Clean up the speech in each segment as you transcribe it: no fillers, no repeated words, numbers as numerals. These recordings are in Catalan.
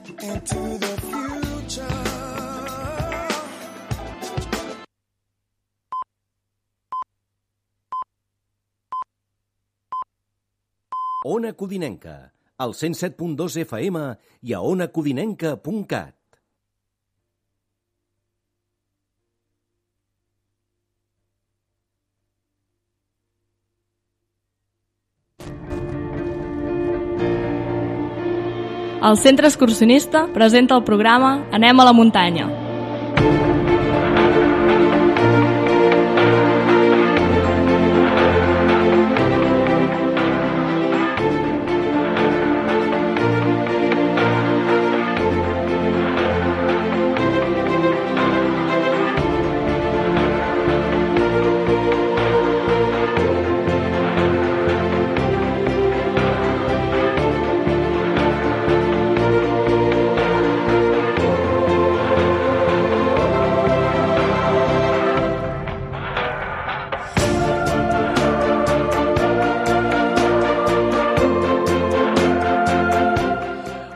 into the future. Ona Codinenca, al 107.2 FM i a onacodinenca.cat. El Centre Excursionista presenta el programa Anem a la muntanya.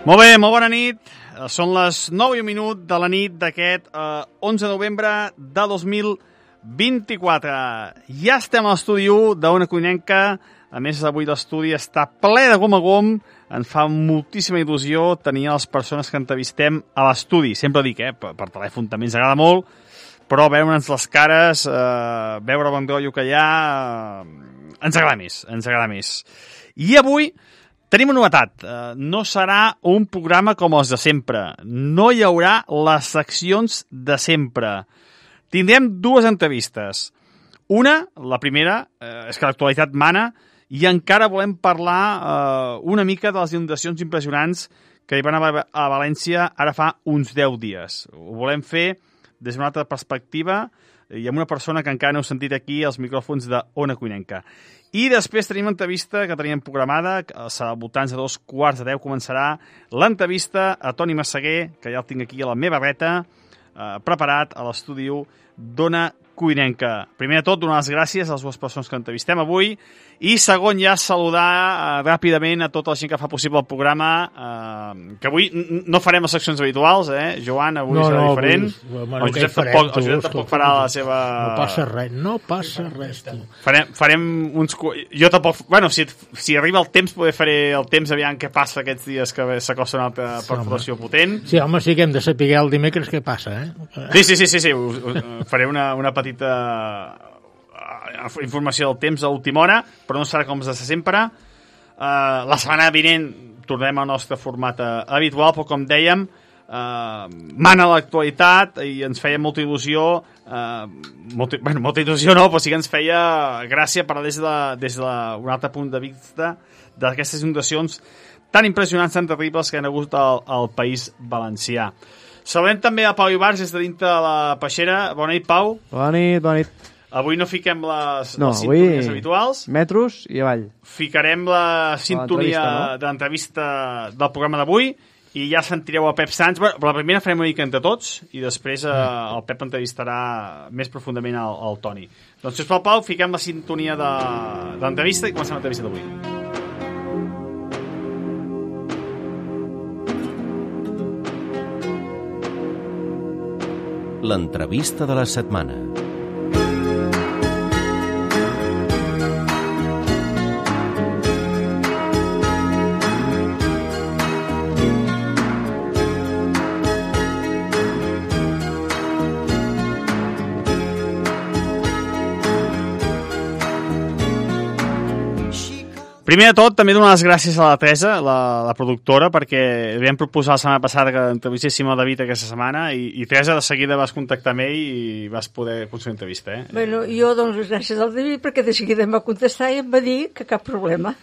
Molt bé, molt bona nit. Són les 9:01 de la nit d'aquest 11 de novembre de 2024. Ja estem a l'estudi 1 d'Ona Codinenca. A més, avui l'estudi està ple de gom a gom. Ens fa moltíssima il·lusió tenir les persones que entrevistem a l'estudi. Sempre dic, per telèfon també ens agrada molt, però veure'ns les cares, veure bon rotllo que hi ha, ens agrada més. I avui tenim una novetat. No serà un programa com els de sempre. No hi haurà les seccions de sempre. Tindrem dues entrevistes. Una, la primera, és que l'actualitat mana i encara volem parlar una mica de les inundacions impressionants que hi van haver a València ara fa uns 10 dies. Ho volem fer des d'una altra perspectiva i amb una persona que encara no heu sentit aquí als micròfons d'Ona Codinenca. I després tenim l'entrevista que teníem programada, serà al voltant de 9:45 començarà l'entrevista a Toni Massaguer, que ja el tinc aquí a la meva dreta, preparat a l'estudi d'Ona Codinenca. Primer de tot, donar les gràcies a les dues persones que entrevistem avui i segon ja saludar ràpidament a tota la gent que fa possible el programa, que avui no farem les seccions habituals, Joan, avui serà diferent. El Josep tampoc farà la seva... No passa res, tu. Farem uns... Jo tampoc... Bueno, si arriba el temps, poder faré el temps aviam què passa aquests dies que s'acosta una altra perforació potent. Sí, home, sí que hem de saber el dimecres què passa, Sí. Faré una petita informació del temps a última hora, però no serà com de sempre. La setmana vinent tornem al nostre format habitual, però com dèiem, mana l'actualitat i ens feia molta il·lusió, molta il·lusió no, però sí que ens feia gràcia parlar des d'un altre punt de vista d'aquestes inundacions tan impressionants, tan terribles que han hagut al País Valencià. Saludem també a Pau Ibars des de dintre de la Peixera. Bona nit, Pau. Bona nit. Avui no fiquem les sintonies habituals. Metros i avall. Ficarem la sintonia de l'entrevista del programa d'avui i ja sentireu a Pep Sans. Però la primera farem una mica entre tots i després el Pep entrevistarà més profundament el Toni. Doncs, sisplau, Pau, fiquem la sintonia de l'entrevista i comencem l'entrevista d'avui. L'entrevista de la setmana. Primer de tot, també donar les gràcies a la Teresa, la productora, perquè li vam proposar la setmana passada que entrevistéssim a David aquesta setmana i Teresa de seguida vas contactar amb ell i vas poder aconseguir entrevista. Bueno, jo dono les gràcies al David perquè de seguida em va contestar i em va dir que cap problema.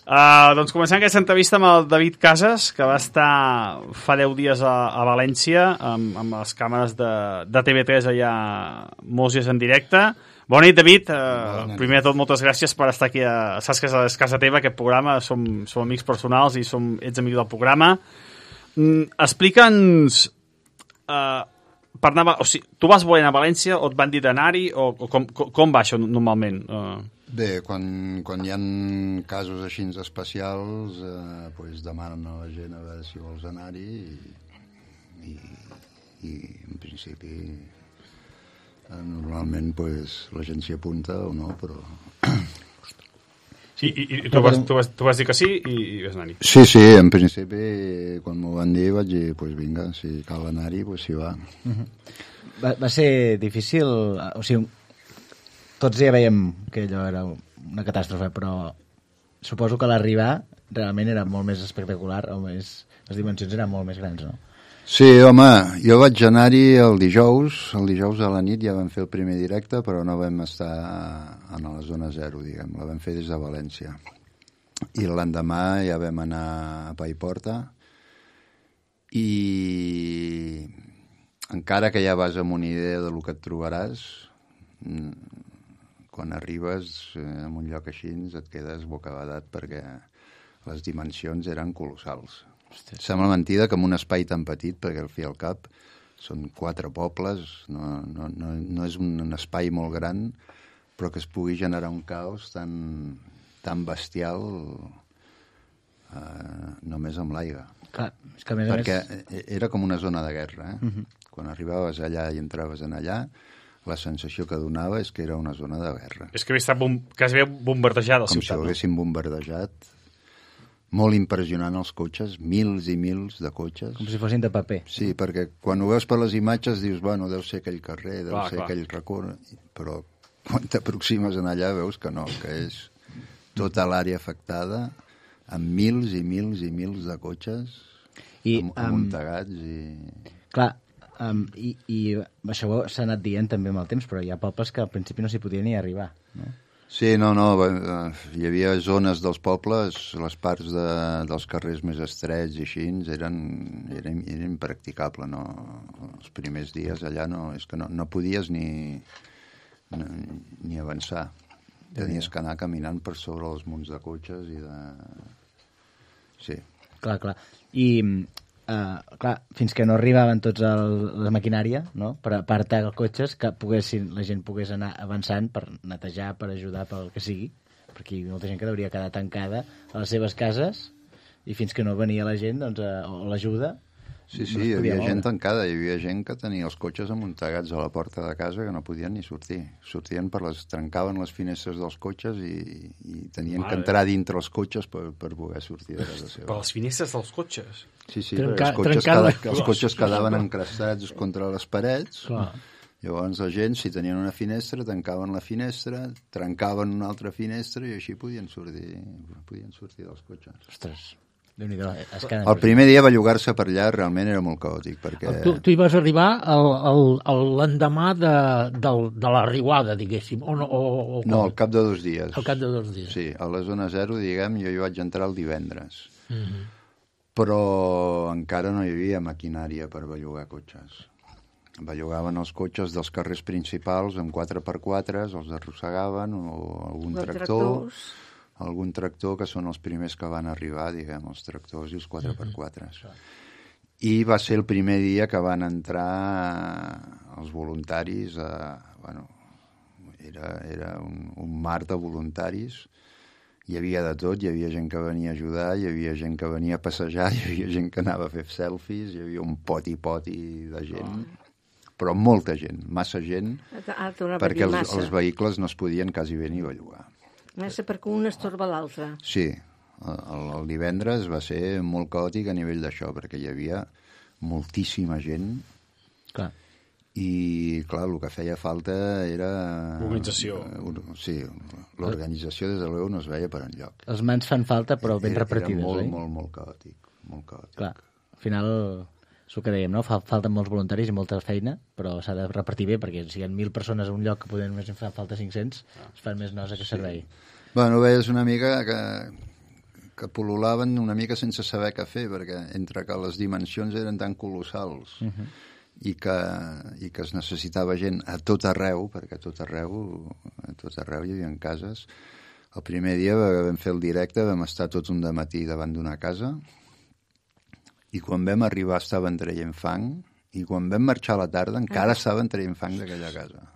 Doncs comencem aquesta entrevista amb el David Casas, que va estar fa 10 dies a València amb les càmeres de TV3 allà molts dies en directe. Bona nit, David. Primer de tot, moltes gràcies per estar aquí. Saps que és casa teva, aquest programa. Som amics personals i ets amic del programa. Explica'ns... tu vas voler anar a València o et van dir d'anar-hi? O com va això normalment? Bé, quan hi ha casos així especials, pues demanen a la gent a veure si vols anar-hi i en principi normalment pues, la gent s'hi apunta o no, però... Sí, i tu vas dir que sí i vas anar-hi. Sí, en principi, quan m'ho van dir, vaig dir, pues vinga, si cal anar-hi, pues s'hi va. Va ser difícil, o sigui, tots ja veiem que allò era una catàstrofe, però suposo que l'arribar realment era molt més espectacular, o més, les dimensions eren molt més grans, no? Sí, home, jo vaig anar-hi el dijous a la nit ja vam fer el primer directe, però no vam estar a la zona zero, diguem, la vam fer des de València. I l'endemà ja vam anar a Paiporta i encara que ja vas amb una idea del que et trobaràs, quan arribes en un lloc així et quedes bocabadat perquè les dimensions eren colossals. Sembla mentida que en un espai tan petit, perquè al fi i al cap són 4 pobles, no és un espai molt gran, però que es pugui generar un caos tan bestial només amb l'aigua. Clar, és que a més perquè era com una zona de guerra. Quan arribaves allà i entraves en allà, la sensació que donava és que era una zona de guerra. És que havia estat quasi bombardejada la ciutat. Com si ho haguessin bombardejat. Molt impressionant els cotxes, mils i mils de cotxes. Com si fossin de paper. Sí, perquè quan ho veus per les imatges dius, bueno, deu ser aquell carrer, deu ser aquell racó, però quan t'aproximes en allà veus que no, que és tota l'àrea afectada amb mils i mils i mils de cotxes amuntegats i... Clar, i això s'ha anat dient també amb el temps, però hi ha pobles que al principi no s'hi podia ni arribar, no? Sí, no, hi havia zones dels pobles, les parts dels carrers més estrets i així, era impracticable, no? Els primers dies allà és que no podies ni avançar. Tenies que anar caminant per sobre els munts de cotxes i de... Sí. Clar. I... clar, fins que no arribaven tots la maquinària, no? Per apartar els cotxes, que la gent pogués anar avançant per netejar, per ajudar, pel que sigui, perquè hi ha molta gent que hauria quedar tancada a les seves cases i fins que no venia la gent, doncs, o l'ajuda. Sí, hi havia gent tancada, hi havia gent que tenia els cotxes amuntegats a la porta de casa que no podien ni sortir. Trencaven les finestres dels cotxes i tenien que entrar dintre els cotxes per poder sortir de casa seva. Per les finestres dels cotxes? Sí, perquè els cotxes quedaven encrastats contra les parets. Clar. Llavors la gent, si tenien una finestra, tancaven la finestra, trencaven una altra finestra i així podien sortir dels cotxes. Ostres, el primer dia bellugar-se per allà realment era molt caòtic, perquè... Tu hi vas arribar l'endemà de la riuada, diguéssim, o no? No, al cap de 2 dies. Al cap de 2 dies. Sí, a la zona zero, diguem, jo hi vaig entrar el divendres. Però encara no hi havia maquinària per bellugar cotxes. Bellugaven els cotxes dels carrers principals amb 4x4, els arrossegaven, o algun tractor, que són els primers que van arribar, diguem, els tractors i els 4x4. I va ser el primer dia que van entrar els voluntaris, era un mar de voluntaris, hi havia de tot, hi havia gent que venia a ajudar, hi havia gent que venia a passejar, hi havia gent que anava a fer selfies, hi havia un poti-poti de gent, però molta gent, massa gent, perquè els vehicles no es podien quasi bé ni bellugar. Massa perquè un estorba l'altre. Sí, el divendres va ser molt caòtic a nivell d'això, perquè hi havia moltíssima gent. Clar. I, clar, el que feia falta era... L'organització. Sí, l'organització, des de l'EU, no es veia per enlloc. Les mans fan falta, però ben repartides, oi? Era molt caòtic, molt caòtic. Clar, al final, és el que dèiem, no? Falten molts voluntaris i molta feina, però s'ha de repartir bé, perquè si hi ha 1.000 persones a un lloc que poden només fer falta 500, es fan més nosa que servei. Bueno, veies una mica que pol·lulaven una mica sense saber què fer, perquè entre que les dimensions eren tan colossals i que es necessitava gent a tot arreu, perquè a tot arreu hi havia cases. El primer dia vam fer el directe, vam estar tot un dematí davant d'una casa i quan vam arribar estaven traient fang i quan vam marxar a la tarda encara estaven traient fang d'aquella casa.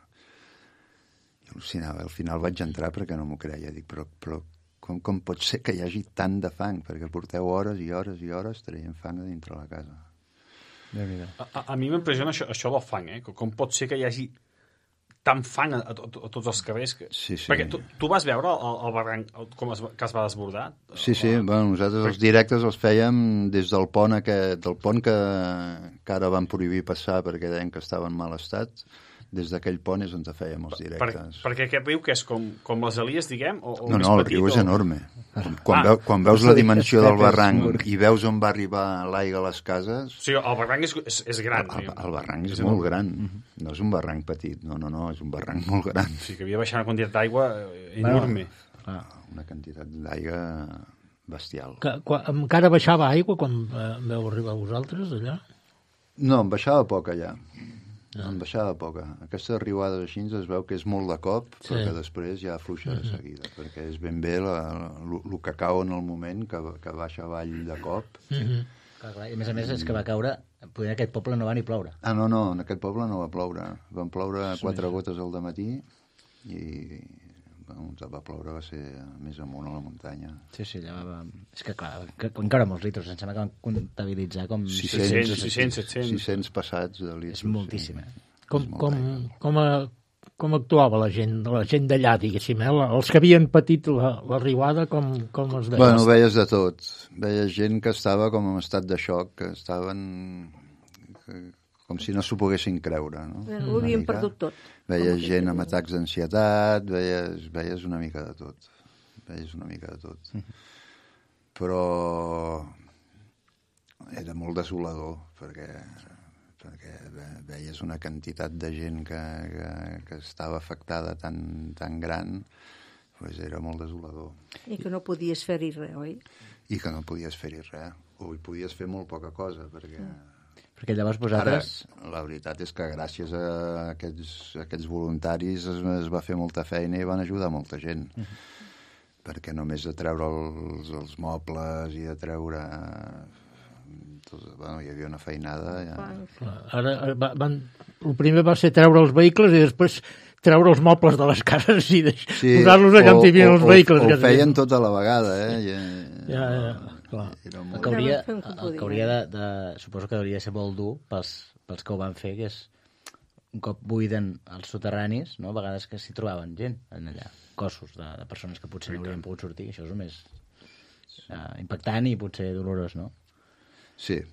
al final vaig entrar perquè no m'ho creia. Dic, però com pot ser que hi hagi tant de fang? Perquè porteu hores i hores i hores traient fang a dintre la casa. A mi m'impressiona això del fang, com pot ser que hi hagi tant fang a tots els carrers. Sí. Perquè tu vas veure el barranc que es va desbordar? Sí, bueno, nosaltres els directes els fèiem des del pont que ara van prohibir passar perquè deien que estava en mal estat. Des d'aquell pont és on fèiem els directes. Perquè aquest riu que és com les Elies, diguem? O no, el riu és enorme. Quan veus la dimensió del barranc i veus on va arribar l'aigua a les cases... O sigui, el barranc és gran. El barranc és molt gran. No és un barranc petit, no, és un barranc molt gran. O sigui, que havia baixat una quantitat d'aigua enorme. Una quantitat d'aigua bestial. Encara baixava aigua quan veu arribar vosaltres, allà? No, em baixava poc allà. En baixada poca. Aquesta riuada així es veu que és molt de cop, però que després ja afluixa de seguida, perquè és ben bé el que cau en el moment, que baixa avall de cop. Clar, i a més és que va caure, potser en aquest poble no va ni ploure. No, en aquest poble no va ploure. Van ploure 4 gotes al dematí i va ploure, va ser més amunt a la muntanya. Sí, allà va... És que clar, encara molts litros, em sembla que van comptabilitzar com... 600, 700. 600 passats de litros. És moltíssim, Com actuava la gent d'allà, diguéssim, els que havien patit la riuada, com els veies? Bueno, veies de tot. Veies gent que estava com en estat de xoc, que estaven... com si no s'ho poguessin creure. No? Ho havien perdut tot. Veies gent amb atacs d'ansietat, veies una mica de tot. Però era molt desolador, perquè veies una quantitat de gent que estava afectada tan gran, doncs era molt desolador. I que no podies fer-hi res, oi? I que no podies fer-hi res, o hi podies fer molt poca cosa, perquè llavors vosaltres... Ara, la veritat és que gràcies a aquests voluntaris es va fer molta feina i van ajudar molta gent. Perquè només de treure els mobles i de treure... Bueno, hi havia una feinada. Ja. Ara, el primer va ser treure els vehicles i després treure els mobles de les cases i posar-los allà on hi havia els vehicles. Ho feien tot a la vegada, Ja. Clar. El que hauria de... Suposo que hauria de ser molt dur pels que ho van fer, que és un cop buiden els soterranis, no? A vegades que s'hi trobaven gent en allà, cossos de persones que potser no haurien pogut sortir. Això és el més impactant i potser dolorós, no? Sí.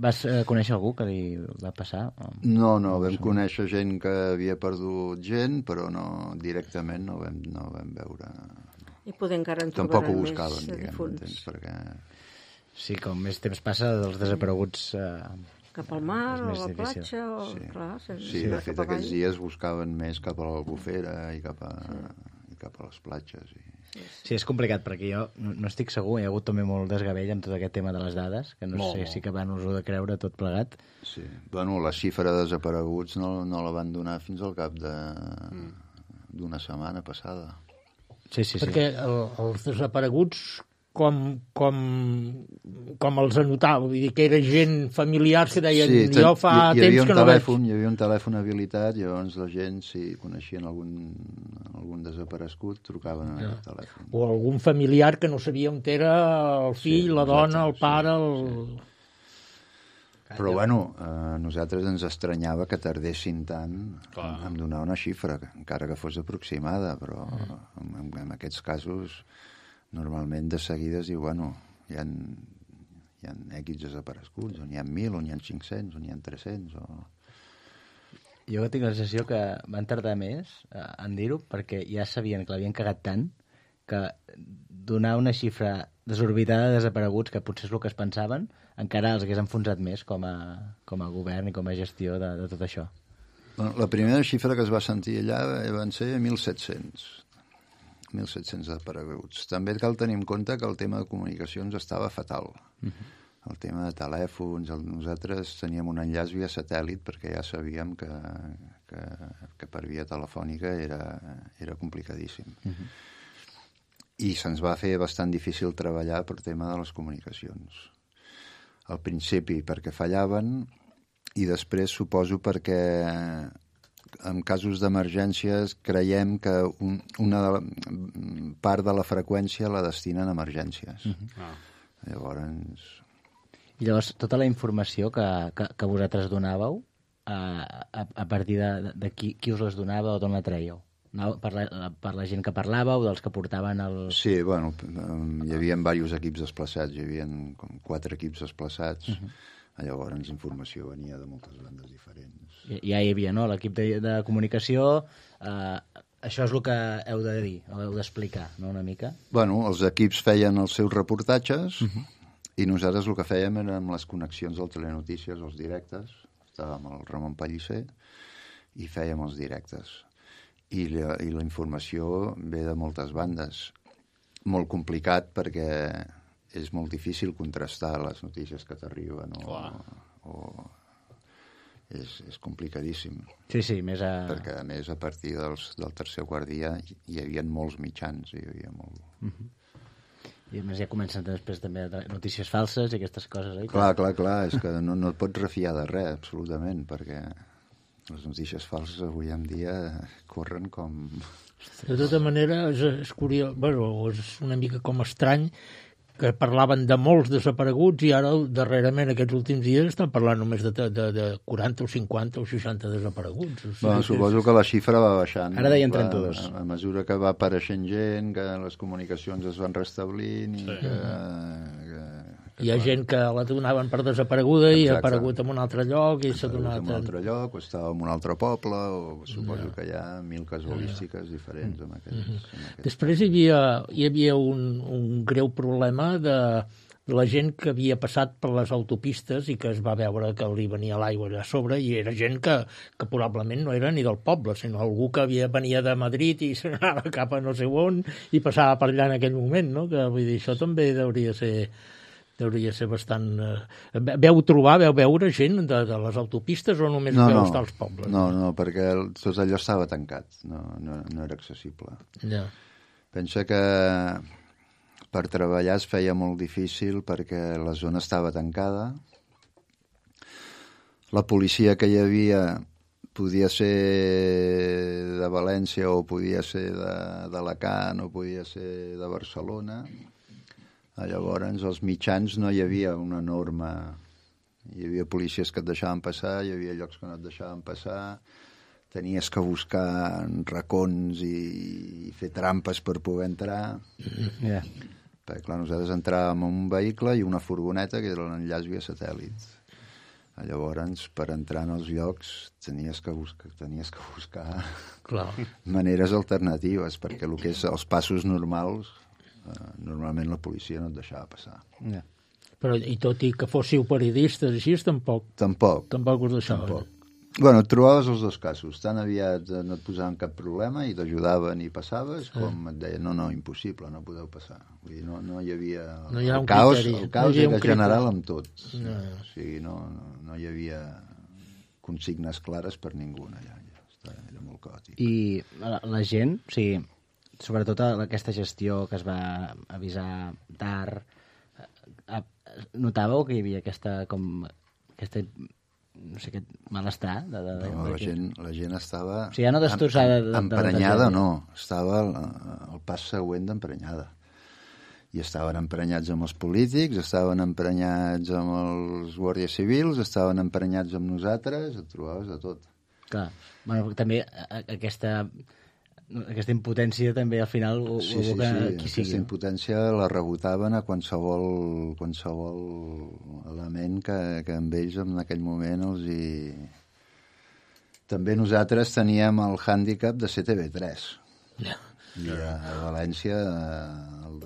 Vas conèixer algú que li va passar? No, vam conèixer gent que havia perdut gent, però directament no vam veure... I poder encara en tampoc trobaran ho buscaven, més difunts. Perquè... Sí, com més temps passa, dels desapareguts... Cap al mar o a la platja, o... Sí, clar, de fet aquests dies buscaven més cap a l'Albufera i cap a les platges. Sí, és complicat, perquè jo no estic segur, hi ha hagut també molt desgavell amb tot aquest tema de les dades, que no sé si acaben us ho de creure tot plegat. Sí, bueno, la xifra de desapareguts no la van donar fins al cap d'una setmana passada. Sí. Perquè els desapareguts, com els anotava? Vull dir que era gent familiar que deien jo fa temps que no veig. Hi havia un telèfon habilitat, llavors la gent, si coneixien algun desaparegut, trucaven a aquest telèfon. O algun familiar que no sabia on era el fill, la dona, el pare... Però, bueno, a nosaltres ens estranyava que tardessin tant en donar una xifra, encara que fos aproximada, però en aquests casos, normalment de seguida es diu, bueno, hi ha X desapareguts, on hi ha 1.000, on hi ha 500, on hi ha 300... Jo tinc la sensació que van tardar més en dir-ho, perquè ja sabien que l'havien cagat tant que donar una xifra desorbitada de desapareguts, que potser és el que es pensaven, encara els hagués enfonsat més com a govern i com a gestió de tot això. Bueno, la primera xifra que es va sentir allà van ser 1.700 desapareguts. També cal tenir en compte que el tema de comunicacions estava fatal. El tema de telèfons, nosaltres teníem un enllaç via satèl·lit perquè ja sabíem que per via telefònica era complicadíssim. I se'ns va fer bastant difícil treballar per tema de les comunicacions. Al principi perquè fallaven i després suposo perquè en casos d'emergències creiem que una part de la freqüència la destinen a emergències. Llavors, tota la informació que vosaltres donàveu, a partir de qui us les donava o d'on la traieu? Per la gent que parlàveu, dels que portaven el... Sí, bueno, hi havia diversos equips desplaçats, hi havia com 4 equips desplaçats, llavors informació venia de moltes bandes diferents. Ja hi havia, no?, l'equip de comunicació, això és el que heu de dir, o heu d'explicar, no?, una mica? Bueno, els equips feien els seus reportatges i nosaltres el que fèiem eren les connexions del Telenotícies, els directes, estàvem al Ramon Pellicer i fèiem els directes. I la informació ve de moltes bandes. Molt complicat perquè és molt difícil contrastar les notícies que t'arriben o és complicadíssim. Sí, més a... Perquè, a més, a partir del tercer o quart dia hi havia molts mitjans, hi havia molt... I a més ja comencen després també notícies falses i aquestes coses, oi? Clar, és que no et pots refiar de res, absolutament, perquè les notícies falses avui en dia corren com... De tota manera, és curiós, és una mica com estrany que parlaven de molts desapareguts i ara, darrerament, aquests últims dies, estan parlant només de 40 o 50 o 60 desapareguts. Bueno, suposo que la xifra va baixant. Ara deien 32. A mesura que va apareixent gent, que les comunicacions es van restablint i hi ha gent que la donaven per desapareguda i ha aparegut en un altre lloc i s'ha donat... en un altre lloc, o estava en un altre poble, o suposo que hi ha 1000 casuístiques diferents amb aquests. Després hi havia un greu problema de la gent que havia passat per les autopistes i que es va veure que li venia l'aigua allà a sobre i era gent que probablement no era ni del poble, sinó algú que venia de Madrid i s'anava cap a no sé on i passava per allà en aquell moment, no? Que, vull dir, això també hauria ser bastant... Veu veure gent de les autopistes o només veu estar als pobles? No, perquè tot allò estava tancat, no era accessible. Ja. Pensa que per treballar es feia molt difícil perquè la zona estava tancada. La policia que hi havia podia ser de València o podia ser d'Alacant o podia ser de Barcelona. Llavors, als mitjans no hi havia una norma. Hi havia policies que et deixaven passar, hi havia llocs que no et deixaven passar, tenies que buscar racons i fer trampes per poder entrar. Perquè, clar, nosaltres entràvem en un vehicle i una furgoneta que era l'enllaç via satèl·lit. Llavors, per entrar en els llocs tenies que buscar maneres alternatives, perquè el que és els passos normals normalment la policia no et deixava passar. Però, i tot i que fóssiu periodistes així, tampoc us deixava. Bueno, et trobaves els dos casos. Tan aviat no et posaven cap problema i t'ajudaven i passaves, com et deien, no, impossible, no podeu passar. Vull dir, no hi havia... El caos era general amb tot. O sigui, no hi havia consignes clares per ningú allà. Era molt caòtic. I la gent, o sigui, sobretot aquesta gestió que es va avisar tard, notàveu que hi havia aquesta no sé, aquest malestar? La gent estava... O sigui, ja no destrossada... Emprenyada no, estava al pas següent d'emprenyada. I estaven emprenyats amb els polítics, estaven emprenyats amb els guàrdies civils, estaven emprenyats amb nosaltres, et trobaves de tot. Clar, bueno, també aquesta impotència també al final aquesta impotència la rebotaven a qualsevol element que amb ells en aquell moment També nosaltres teníem el hàndicap de ser TV3 i a València el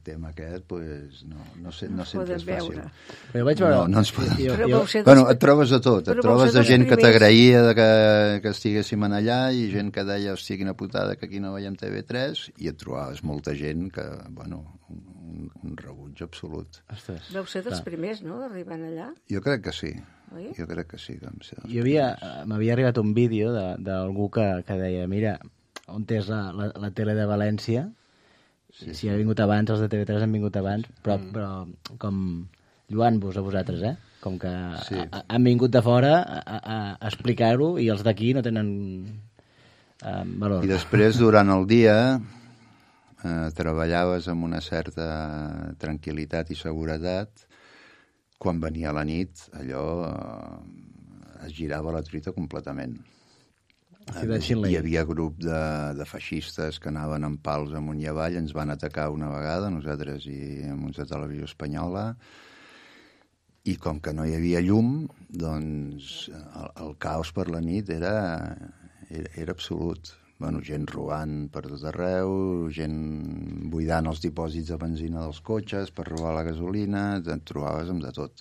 tema aquest no sempre és fàcil. No ens podem... et trobes de tot, et trobes de gent que t'agraïa que estiguéssim allà i gent que deia, hòstia, quina putada que aquí no veiem TV3, i et trobaves molta gent que, bueno, un rebuig absolut. Vau ser dels primers, no?, d'arribar allà? Jo crec que sí. M'havia arribat un vídeo d'algú que deia, mira, on és la tele de València? Si ha vingut abans, els de TV3 han vingut abans, però com lluant-vos a vosaltres, com que Sí. han vingut de fora a explicar-ho i els d'aquí no tenen valor. I després, durant el dia, treballaves amb una certa tranquil·litat i seguretat. Quan venia la nit, allò es girava la truita completament. Hi havia grup de feixistes que anaven amb pals amunt i avall, ens van atacar una vegada, nosaltres i amb uns de Televisió Espanyola, i com que no hi havia llum, doncs el caos per la nit era absolut. Bueno, gent robant per tot arreu, gent buidant els dipòsits de benzina dels cotxes per robar la gasolina, et trobaves amb de tot.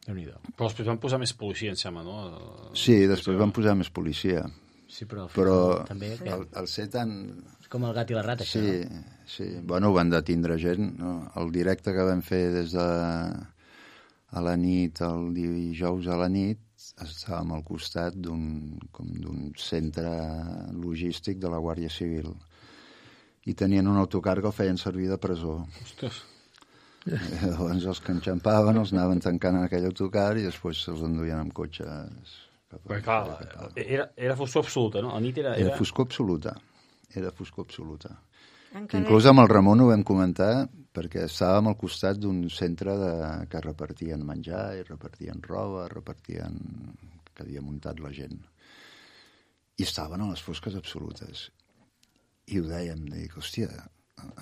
Però després van posar més policia, em sembla, no? Sí, després van posar més policia. Sí, però també que... el ser tan... És com el gat i la rata, això, sí, no? Sí, bueno, van detindre gent. No? El directe que vam fer des de a la nit, el dijous a la nit, estàvem al costat d'un centre logístic de la Guàrdia Civil. I tenien un autocar que el feien servir de presó. Ostres. Llavors els que enxampaven els anaven tancant en aquell autocar i després se'ls enduien amb cotxes. Perquè, clar, era foscor absoluta, no? A nit era... Era foscor absoluta. Era foscor absoluta. Inclús amb el Ramon ho vam comentar perquè estàvem al costat d'un centre que repartien menjar i repartien roba, que havia muntat la gent. I estaven a les fosques absolutes. I ho dèiem, dic, hòstia,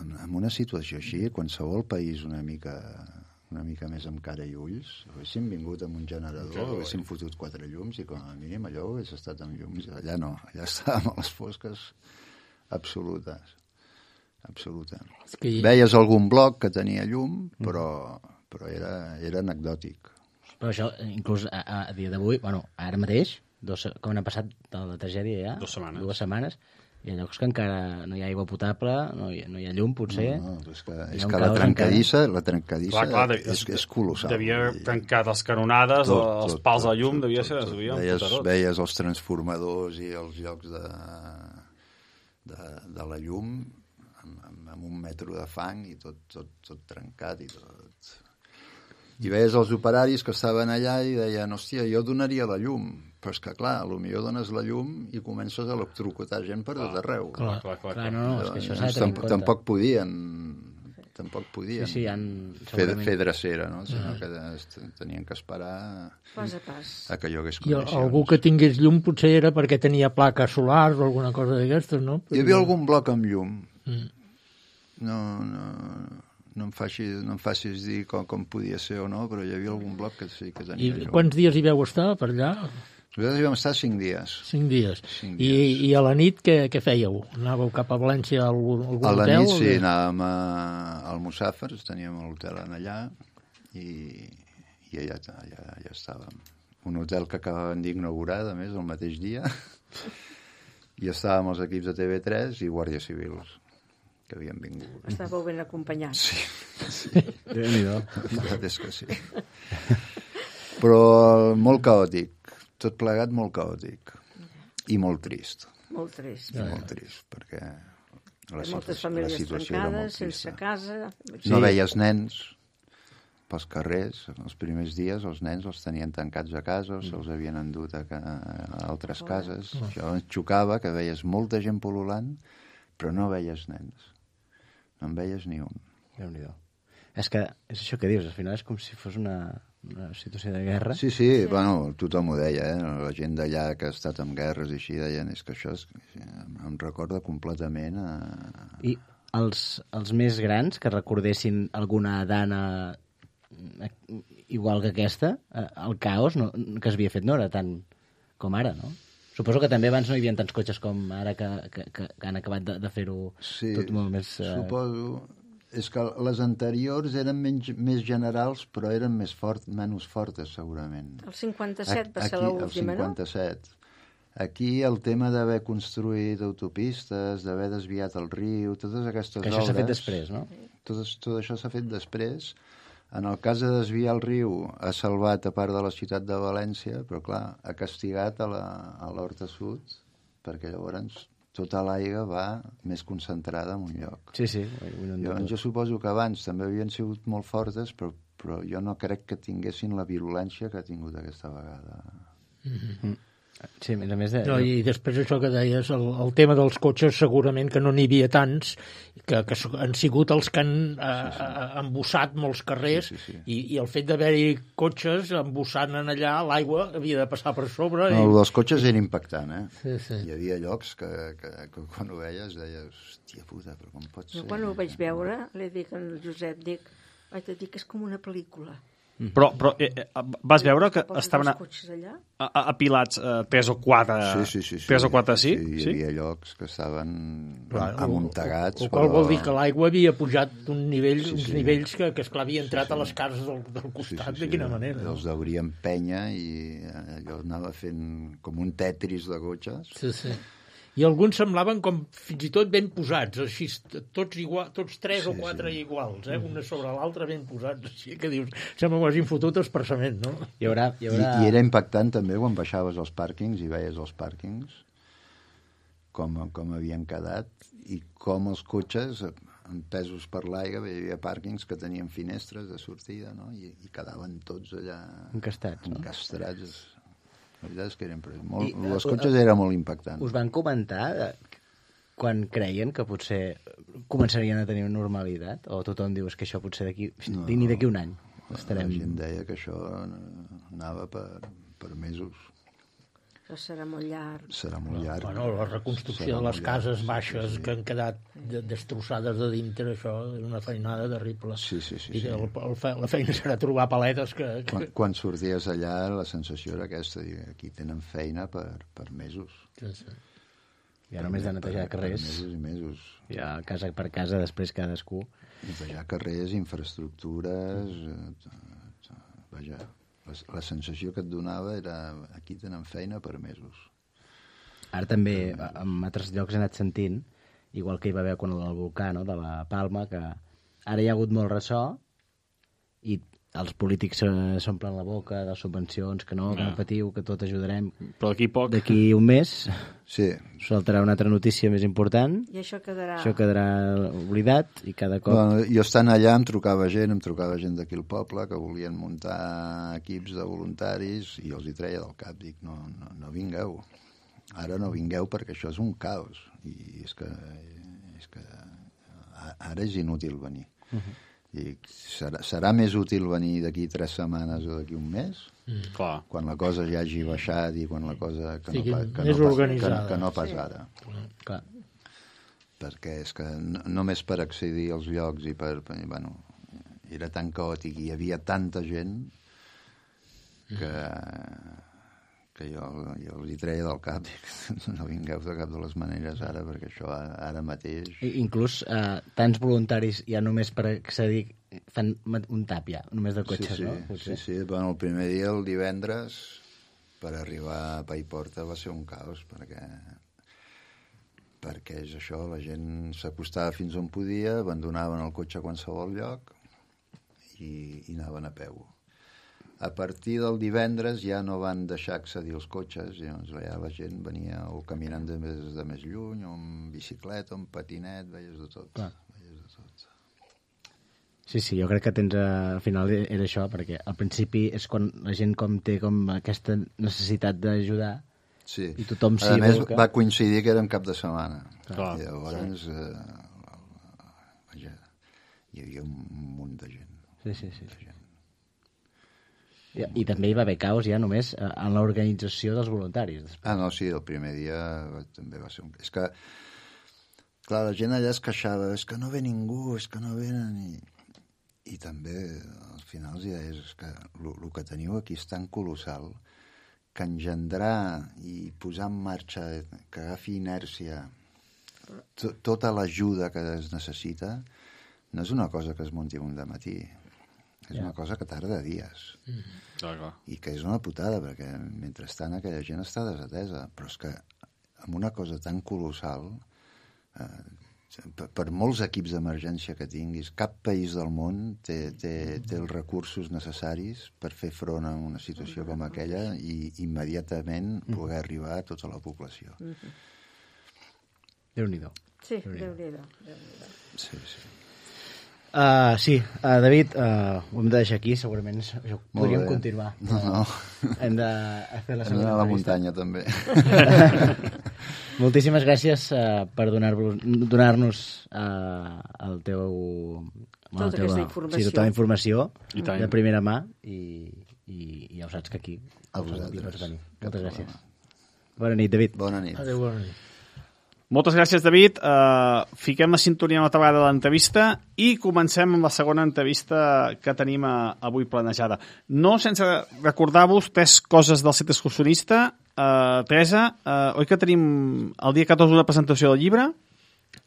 en una situació així, qualsevol país una mica més amb cara i ulls, haguéssim vingut amb un generador, haguéssim fotut 4 llums i com a mínim allò hagués estat amb llums. Allà no, allà estàvem a les fosques absolutes. Veies algun bloc que tenia llum, però era anecdòtic. Però això, inclús a dia d'avui, bueno, ara mateix, com han passat de la tragèdia ja? 2 setmanes. Hi ha llocs que encara no hi ha aigua potable, no hi ha llum, potser. No, és que la trencadissa és colossal. Devia trencar les canonades, els pals de llum, devia ser... Veies els transformadors i els llocs de la llum amb 1 metro de fang i tot trencat i tot... I veies els operaris que estaven allà i deien, hòstia, jo donaria la llum, però és que, clar, potser dones la llum i comences a electrocutar gent per tot arreu. Clar, no, és que això s'ha de tenir en compte. Tampoc podien fer drecera, no? Sinó que tenien que esperar pas a pas. a que hi hagués I condicions. algú que tingués llum potser era perquè tenia plaques solars o alguna cosa d'aquestes, no? Hi havia algun bloc amb llum. No em facis dir com podia ser o no, però hi havia algun bloc que sí que tenia llum. I quants dies hi veu estar per allà? Nosaltres hi vam estar 5 dies. 5 dies. I a la nit què fèieu? Anàveu cap a València a algun hotel? A la nit sí, anàvem al Mussàfers, teníem l'hotel allà i allà estàvem. Un hotel que acabaven d'inaugurar, a més, el mateix dia. I estàvem els equips de TV3 i Guàrdia Civils que havien vingut. Estàveu ben acompanyats. Sí. La veritat és que sí. Però molt caòtic. Tot plegat molt caòtic. I molt trist. Molt trist. Molt trist, perquè moltes famílies trencades, sense casa... No veies nens pels carrers. Els primers dies els nens els tenien tancats a casa, se'ls havien endut a altres cases. Això ens xocava, que veies molta gent pol·lulant, però no veies nens. No en veies ni un. Déu-n'hi-do. És que és això que dius, al final és com si fos una situació de guerra. Sí, bueno, tothom ho deia, la gent d'allà que ha estat en guerres i així deien, és que això em recorda completament a... I els més grans que recordessin alguna dana igual que aquesta, el caos que s'havia fet no era tant com ara, no? Suposo que també abans no hi havia tants cotxes com ara que han acabat de fer-ho tot molt més... Suposo. És que les anteriors eren més generals, però eren menys fortes, segurament. El 57 va ser l'última, no? El 57. Aquí el tema d'haver construït autopistes, d'haver desviat el riu, totes aquestes obres... Que això s'ha fet després, no? Tot això s'ha fet després. En el cas de desviar el riu, ha salvat a part de la ciutat de València, però clar, ha castigat a l'Horta Sud, perquè llavors tota l'aigua va més concentrada en un lloc. Sí. Jo suposo que abans també havien sigut molt fortes, però jo no crec que tinguessin la virulència que ha tingut aquesta vegada. Sí, a més de... No, i després això que deies, el tema dels cotxes, segurament que no n'hi havia tants, que han sigut els que han embussat molts carrers, Sí. I el fet d'haver-hi cotxes embussant en allà, l'aigua havia de passar per sobre. No, el dels cotxes era impactant, Sí. Hi havia llocs que quan ho veies deies, hòstia puta, però com pot ser? Jo quan ho vaig veure, li dic al Josep, vaig dir que és com una pel·lícula. Però vas veure que Poses estaven els cotxes allà? apilats 3 o 4... Sí. 3 o 4, sí? Hi havia llocs que estaven Clar, amuntegats. el qual vol dir que l'aigua havia pujat uns nivells que esclar, havia entrat a les cases del costat, de quina manera. No? Els deuríem penya i allò anava fent com un tetris de cotxes. Sí. I alguns semblaven com fins i tot ben posats, així, tots 3 o 4 iguals, una sobre l'altra ben posats, així que dius, sembla que ho hagin fotut expressament, no? Hi haurà... I era impactant també quan baixaves als pàrquings i veies els pàrquings com havien quedat i com els cotxes empesos per l'aigua, hi havia pàrquings que tenien finestres de sortida, no? I quedaven tots allà encastrats. La veritat és que eren els cotxes era molt impactant. Us van comentar quan creien que potser començarien a tenir una normalitat? O tothom diu que això potser ni d'aquí un any estarem... La gent deia que això anava per mesos. Això serà molt llarg. Serà molt llarg. Bueno, la reconstrucció de les cases baixes que han quedat destrossades de dintre, això és una feinada terrible. Sí. I la feina serà trobar paletes que... Quan sorties allà, la sensació era aquesta, aquí tenen feina per mesos. Sí. Ja només de netejar carrers. Per mesos i mesos. Ja casa per casa, després cadascú. Netejar carrers, infraestructures... Vaja... La sensació que et donava era aquí tenen feina per mesos. Ara també, en altres llocs he anat sentint, igual que hi va haver quan el volcà, no?, de la Palma, que ara hi ha hagut molt ressò i els polítics s'omplen la boca de subvencions, que no patiu, que tot ajudarem. Però d'aquí poc... D'aquí un mes saltarà una altra notícia més important. I això quedarà... Això quedarà oblidat i cada cop... Bueno, jo estant allà em trucava gent d'aquí al poble que volien muntar equips de voluntaris i els hi treia del cap. Dic, no vingueu. Ara no vingueu perquè això és un caos. I és que ara és inútil venir. I serà més útil venir d'aquí 3 setmanes o d'aquí un mes? Clar. Quan la cosa ja hagi baixat i quan la cosa que no pas ara. Clar. Perquè és que només per accedir als llocs i bueno, era tan caòtic i hi havia tanta gent que jo els hi treia del cap. No vingueu de cap de les maneres ara, perquè això ara mateix... Inclús tants voluntaris ja només per accedir fan un tap ja, només de cotxes, sí, no? Sí. Bueno, el primer dia, el divendres, per arribar a Paiporta va ser un caos, perquè és això, la gent s'acostava fins on podia, abandonaven el cotxe a qualsevol lloc i anaven a peu. A partir del divendres ja no van deixar accedir els cotxes, llavors ja la gent venia o caminant de més lluny, o amb bicicleta, o amb patinet, veies de tot. Sí, jo crec que al final era això, perquè al principi és quan la gent té aquesta necessitat d'ajudar, sí. I tothom s'hi volca. Va coincidir que era un cap de setmana. Clar. I llavors vaja, hi havia un munt de gent. Sí. I també hi va haver caos ja només en l'organització dels voluntaris. Després. No, sí, el primer dia també va ser un... És que, clar, la gent allà es queixava, és que no ve ningú, és que no venen... I també, al final, els deies, és que el que teniu aquí és tan colossal que engendrar i posar en marxa, que agafi inèrcia, tota l'ajuda que es necessita, no és una cosa que es munti un dematí. És una cosa que tarda dies. I que és una putada, perquè mentrestant aquella gent està desatesa. Però és que amb una cosa tan colossal, per molts equips d'emergència que tinguis, cap país del món té els recursos necessaris per fer front a una situació com aquella i immediatament poder arribar a tota la població. Déu-n'hi-do. Sí, Déu-n'hi-do. Sí. Sí, David, ho hem de deixar aquí, segurament això podríem continuar. No. Hem de fer la Hem segona d'anar a la entrevista. muntanya, també. Moltíssimes gràcies per donar-nos el teu... Tota aquesta informació. Sí, tota la informació I tant. de primera mà i ja ho saps que aquí A vosaltres. pots venir. Cap Moltes problema. gràcies. Bona nit, David. Bona nit. Adéu, bona nit. Moltes gràcies, David. Fiquem la sintonia una altra vegada de l'entrevista i comencem amb la segona entrevista que tenim avui planejada. No sense recordar-vos 3 coses del Centre Excursionista. Teresa, oi que tenim el dia 14 una presentació del llibre?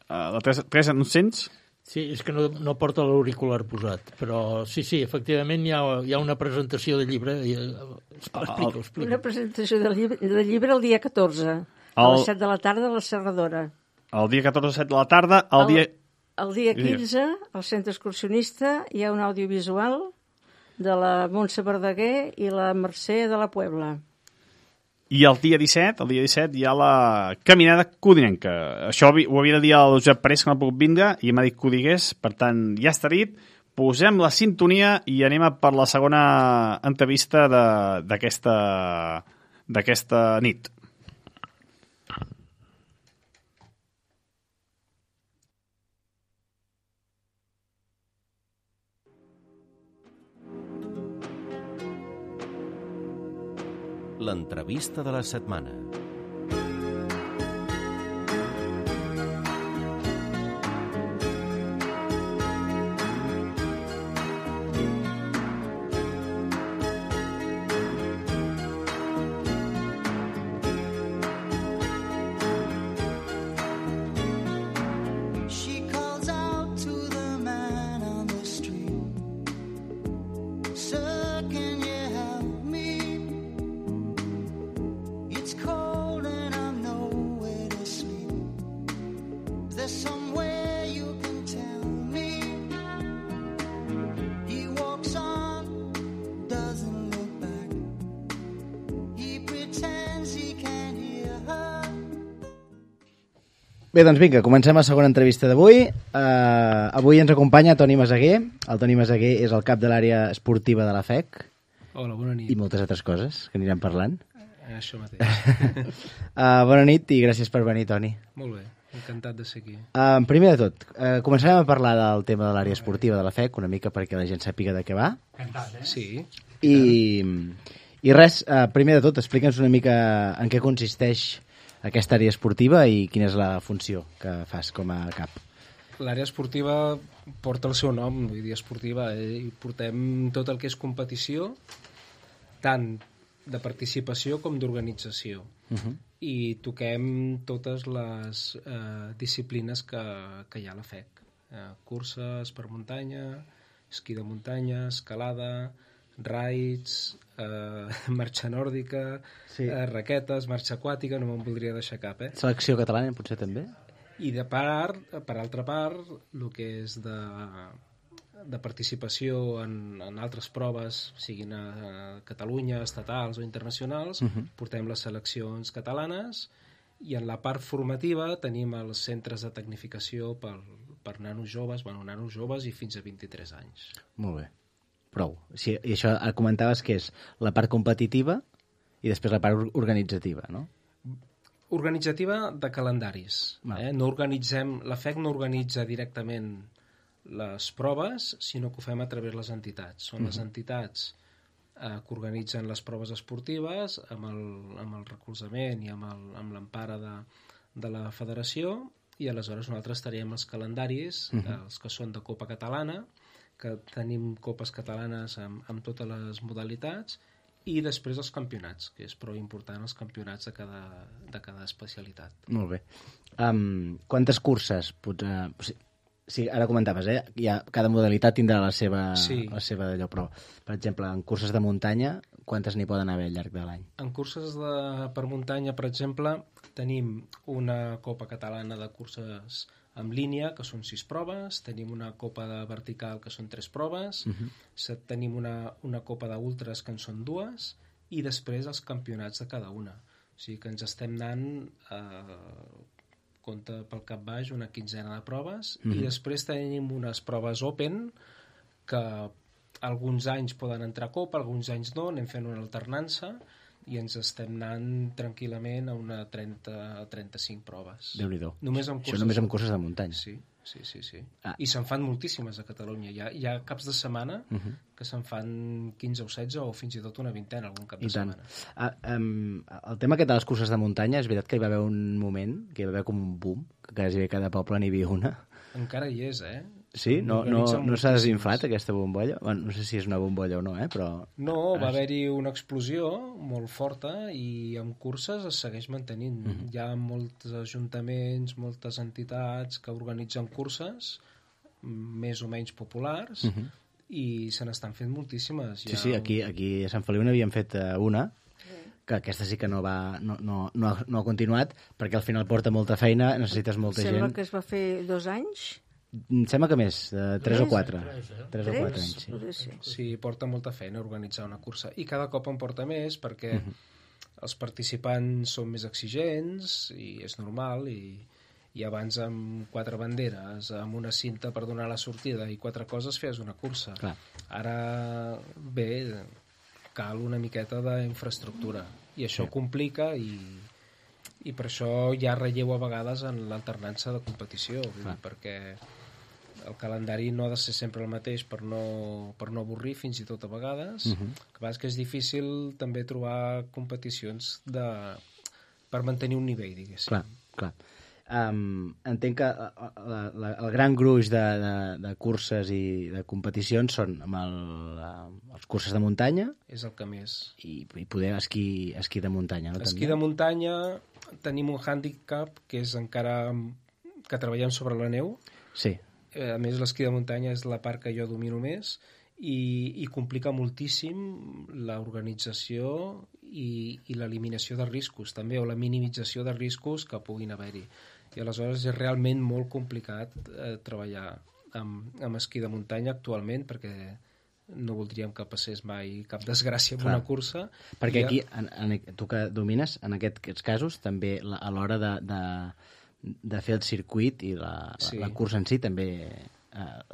La Teresa, no et sents? Sí, és que no porta l'auricular posat, però sí, efectivament hi ha una presentació de llibre. Explica. Una presentació de llibre el dia 14, a les 7 de la tarda a la Serradora. El dia 14 a 7 de la tarda, El dia 15, al Centre Excursionista, hi ha un audiovisual de la Montse Verdaguer i la Mercè de la Puebla. I el dia 17 hi ha la caminada codinenca. Això ho havia de dir al Josep Parés, que no ha pogut vindre, i m'ha dit que ho digués, per tant, ja està dit. Posem la sintonia i anem per la segona entrevista d'aquesta nit. L'entrevista de la setmana. She calls out to the man on the street. Sir, can you help me? It's cold and I'm nowhere to sleep. Is there somewhere you can tell me? He walks on, doesn't look back. He pretends he can't hear her. Bé, doncs vinga, comencem la segona entrevista d'avui. Avui ens acompanya Toni Meseguer. El Toni Meseguer és el cap de l'àrea esportiva de la FEC. Hola, bona nit. I moltes altres coses que anirem parlant. Això mateix. Bona nit i gràcies per venir, Toni. Molt bé, encantat de ser aquí. Primer de tot, començarem a parlar del tema de l'àrea esportiva de la FEC, una mica perquè la gent sàpiga de què va. Sí. I res, primer de tot, explica'ns una mica en què consisteix aquesta àrea esportiva i quina és la funció que fas com a cap. L'àrea esportiva porta el seu nom, vull dir esportiva, i portem tot el que és competició, tant de participació com d'organització. I toquem totes les disciplines que hi ha a la FEC. Curses per muntanya, esquí de muntanya, escalada, raids, marxa nòrdica, raquetes, marxa aquàtica, no me'n voldria deixar cap, Selecció catalana, potser també? I per altra part, el que és de participació en altres proves, siguin a Catalunya, estatals o internacionals, portem les seleccions catalanes, i en la part formativa tenim els centres de tecnificació per nanos joves i fins a 23 anys. Molt bé. Prou. Sí, i això comentaves que és la part competitiva i després la part organitzativa, no? Organitzativa de calendaris. No organitzem, la FEC no organitza directament les proves, sinó que ho fem a través de les entitats. Són les entitats que organitzen les proves esportives amb el recolzament i amb l'empara de la federació, i aleshores nosaltres tenim els calendaris, els que són de Copa Catalana, que tenim copes catalanes amb totes les modalitats, i després els campionats, que és prou important els campionats de cada especialitat. Molt bé. Quantes curses? Sí, ara comentaves, cada modalitat tindrà la seva d'allò, però, per exemple, en curses de muntanya, quantes n'hi poden haver al llarg de l'any? En curses per muntanya, per exemple, tenim una Copa Catalana de curses en línia, que són 6 proves, tenim una copa de vertical, que són 3 proves, tenim una copa d'ultres, que en són 2, i després els campionats de cada una. O sigui que ens estem anant compta pel cap baix una quinzena de proves, i després tenim unes proves open que alguns anys poden entrar a copa, alguns anys no, anem fent una alternança i ens estem anant tranquil·lament a una 30-35 proves. Déu-n'hi-do. Això només amb curses de muntanya. Sí. I se'n fan moltíssimes a Catalunya. Hi ha caps de setmana que se'n fan 15 o 16 o fins i tot una vintena algun cap de setmana. El tema aquest de les curses de muntanya, és veritat que hi va haver un moment, que hi va haver com un boom, que quasi cada poble n'hi havia una. Encara hi és, Sí? No s'ha desinflat aquesta bombolla? Bueno, no sé si és una bombolla o no, però... No, va haver-hi una explosió molt forta i amb curses es segueix mantenint. Hi ha molts ajuntaments, moltes entitats que organitzen curses més o menys populars i se n'estan fent moltíssimes. Sí, aquí a Sant Feliu n'havien fet una, que aquesta sí que no ha continuat, perquè al final porta molta feina, necessites molta gent. Sembla que es va fer 2 anys. Em sembla que més, 3 o 4. 3 o 4 anys, sí. Sí, porta molta feina organitzar una cursa. I cada cop en porta més perquè els participants són més exigents i és normal, i abans amb 4 banderes, amb una cinta per donar la sortida i 4 coses feies una cursa. Clar. Ara, bé, cal una miqueta d'infraestructura i això dir, i per això hi ha relleu a vegades en l'alternança de competició, perquè el calendari no ha de ser sempre el mateix per no avorrir, fins i tot a vegades. Que és que és difícil també trobar competicions per mantenir un nivell, diguéssim. Clar. Entenc que el gran gruix de curses i de competicions són amb els curses de muntanya. És el que més. I poder esquí de muntanya, no? Esquí de muntanya tenim un hàndicap que és encara que treballem sobre la neu. Sí. A més, l'esquí de muntanya és la part que jo domino més i complica moltíssim l'organització i l'eliminació de riscos també, o la minimització de riscos que puguin haver-hi. I aleshores és realment molt complicat treballar amb esquí de muntanya actualment, perquè no voldríem que passés mai cap desgràcia amb una cursa. Perquè aquí, tu que domines, en aquests casos, també a l'hora de fer el circuit i la cursa en si, també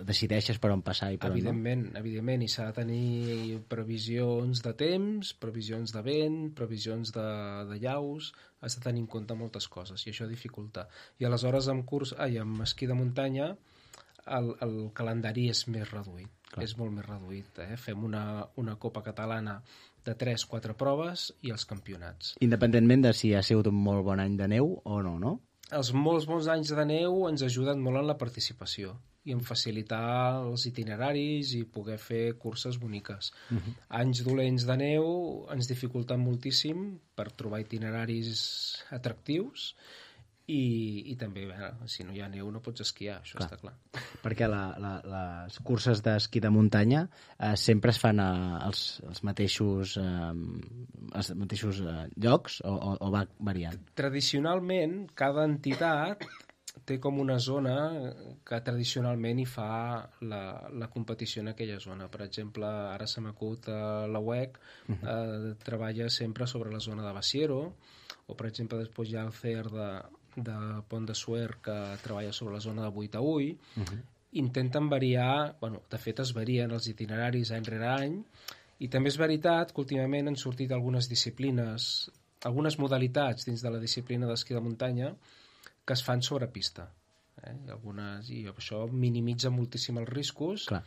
decideixes per on passar i per on no? Evidentment, i s'ha de tenir previsions de temps, previsions de vent, previsions de llaus, has de tenir en compte moltes coses, i això dificulta. I aleshores amb esquí de muntanya el calendari és més reduït. Clar. És molt més reduït. Fem una Copa Catalana de 3-4 proves i els campionats. Independentment de si ha sigut un molt bon any de neu o no, no? Els molts bons anys de neu ens ajuden molt en la participació i en facilitar els itineraris i poder fer curses boniques. Anys dolents de neu ens dificulten moltíssim per trobar itineraris atractius i també, si no hi ha neu no pots esquiar, això està clar. Perquè les curses d'esquí de muntanya sempre es fan als mateixos llocs o va variant? Tradicionalment, cada entitat té com una zona que tradicionalment hi fa la competició en aquella zona. Per exemple, ara se m'acut la UEC treballa sempre sobre la zona de Basiero, o per exemple després hi ha el CER de Pont de Suert que treballa sobre la zona de Buitaúi. Intenten variar, de fet es varien els itineraris any rere any, i també és veritat que últimament han sortit algunes disciplines, algunes modalitats dins de la disciplina d'esquí de muntanya que es fan sobre pista. I això minimitza moltíssim els riscos. Clar.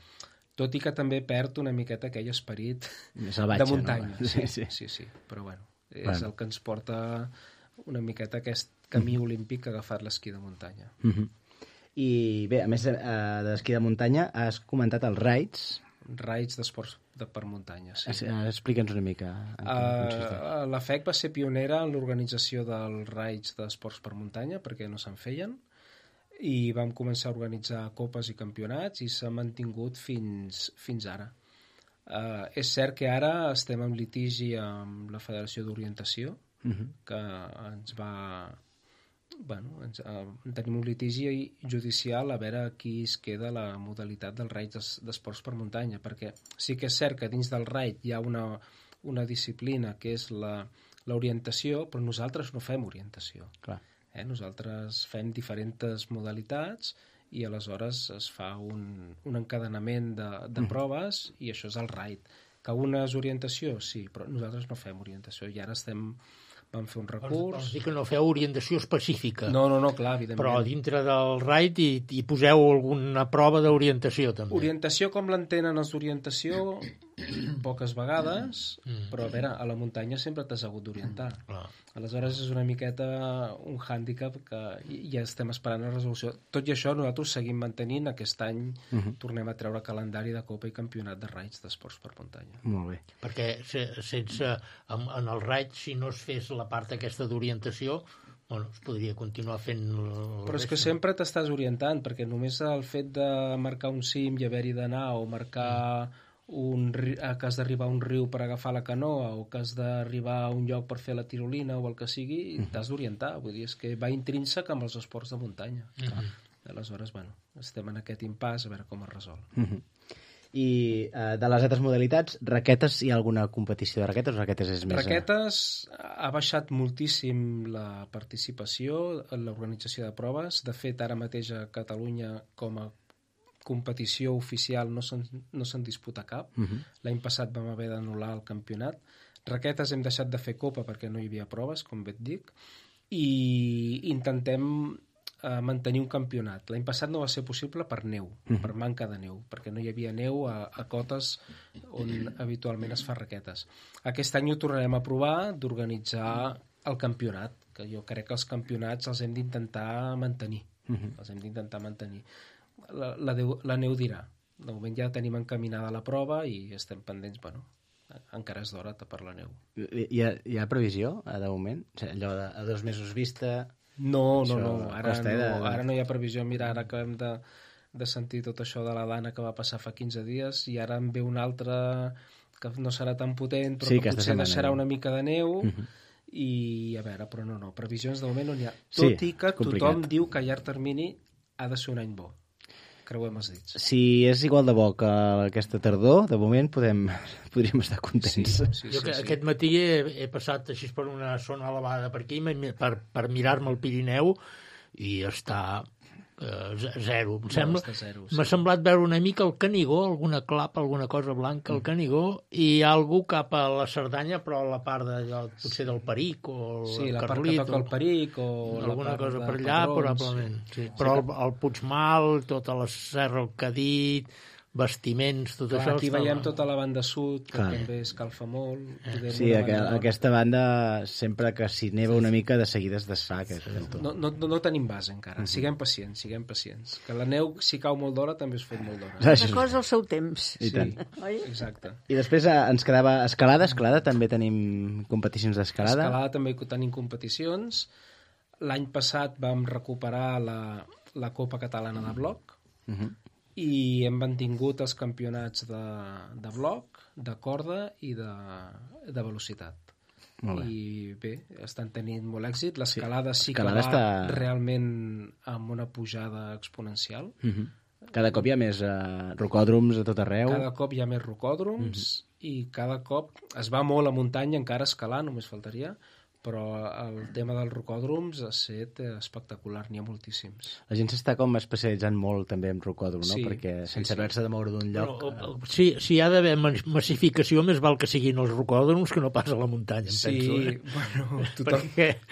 Tot i que també perd una miqueta aquell esperit salvatge, de muntanya. No? Sí. Però és el que ens porta una miqueta aquest camí olímpic que ha agafat l'esquí de muntanya. I bé, a més d'esquí de muntanya, has comentat els raids. Raids d'esports per muntanya, sí. Explica'ns una mica en què consisteix. La FEC va ser pionera en l'organització dels raids d'esports per muntanya, perquè no se'n feien, i vam començar a organitzar copes i campionats i s'ha mantingut fins ara. És cert que ara estem en litigi amb la Federació d'Orientació, que ens va... tenim un litigi judicial a veure qui es queda la modalitat dels raids d'esports per muntanya, perquè sí que és cert que dins del raid hi ha una disciplina que és l'orientació, però nosaltres no fem orientació. Clar. Nosaltres fem diferents modalitats i aleshores es fa un encadenament de proves i això és el RAID. Que una és orientació? Sí, però nosaltres no fem orientació i ara vam fer un recurs... Vols dir que no feu orientació específica. No, clar, evidentment. Però dintre del RAID hi poseu alguna prova d'orientació, també. Orientació com l'entenen els d'orientació, poques vegades, però a veure, a la muntanya sempre t'has hagut d'orientar. Aleshores és una miqueta un hàndicap que ja estem esperant la resolució. Tot i això, nosaltres seguim mantenint. Aquest any tornem a treure calendari de Copa i Campionat de raids d'esports per muntanya. Molt bé. Perquè sense en el raid, si no es fes la part aquesta d'orientació, bueno, es podria continuar fent... Però és que sempre t'estàs orientant, perquè només el fet de marcar un cim i haver-hi d'anar, o marcar que has d'arribar a un riu per agafar la canoa, o que has d'arribar a un lloc per fer la tirolina, o el que sigui, t'has d'orientar. Vull dir, és que va intrínsec amb els esports de muntanya. Aleshores, bueno, estem en aquest impàs a veure com es resol. I de les altres modalitats, raquetes, hi ha alguna competició de raquetes o raquetes és més... Raquetes ha baixat moltíssim la participació en l'organització de proves. De fet, ara mateix a Catalunya com a competició oficial no se'n disputa cap. L'any passat vam haver d'anul·lar el campionat. Raquetes hem deixat de fer copa perquè no hi havia proves, com bé et dic, i intentem mantenir un campionat. L'any passat no va ser possible per neu, per manca de neu, perquè no hi havia neu a cotes on habitualment es fa raquetes. Aquest any ho tornarem a provar d'organitzar el campionat, que jo crec que els campionats els hem d'intentar mantenir. La neu dirà. De moment ja tenim encaminada la prova i estem pendents, bueno, encara és d'hora per la neu. Hi ha previsió, de moment? Allò de a 2 mesos vista... No, ara no hi ha previsió. Mira, ara acabem de sentir tot això de la Dana que va passar fa 15 dies i ara en ve una altra que no serà tan potent, però que potser deixarà una mica de neu i a veure, però no, previsions de moment no n'hi ha. Tot i que tothom diu que a llarg termini ha de ser un any bo. Creuem els dits. Si és igual de bo que aquesta tardor, de moment podríem estar contents. Jo aquest matí he passat així per una zona elevada per aquí per mirar-me el Pirineu i està zero. M'ha semblat veure una mica el Canigó, alguna clapa, alguna cosa blanca al Canigó, i algú cap a la Cerdanya, però a la part potser del Peric o el Carlit. Sí, la part que toca el Peric o alguna cosa per allà, probablement. Però el Puigmal, tota la Serra, el Cadit, vestiments, tot això... Aquí veiem tota la banda sud, que també escalfa molt. Sí, aquesta banda, sempre que s'hi neva una mica, de seguida es desfà. No tenim base encara. Siguem pacients. Que la neu, si cau molt d'hora, també es fot molt d'hora. Una cosa al seu temps. I tant. Exacte. I després ens quedava escalada. Escalada també tenim competicions d'escalada. Escalada també tenim competicions. L'any passat vam recuperar la Copa Catalana de Bloc, i hem mantingut els campionats de bloc, de corda i de velocitat. I bé, estan tenint molt èxit. L'escalada sí que va realment amb una pujada exponencial. Cada cop hi ha més rocòdroms a tot arreu. Cada cop hi ha més rocòdroms i cada cop es va molt a muntanya, encara a escalar, només faltaria, però el tema dels rocòdroms ha estat espectacular, n'hi ha moltíssims. La gent s'està com especialitzant molt també en rocòdrom, no? Perquè sense haver-se de moure d'un lloc... Si hi ha d'haver massificació, més val que siguin els rocòdroms que no pas a la muntanya, em penso. Bueno,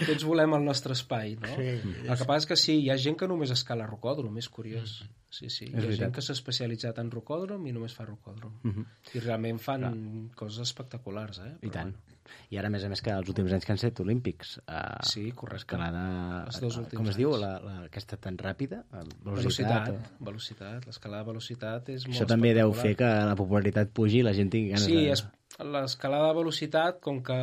tots volem el nostre espai, no? El que passa és que sí, hi ha gent que només escala rocòdrom, és curiós. Sí, hi ha gent que s'ha especialitzat en rocòdrom i només fa rocòdrom. I realment fan coses espectaculars, I tant. I ara, a més, que els últims anys que han estat olímpics. Sí, correcte. Escalada... Els 2 últims com es diu, aquesta tan ràpida? Velocitat. L'escalada de velocitat és molt espectacular. Això també deu fer que la popularitat pugi i la gent tingui ganes de... Sí, l'escalada de velocitat, com que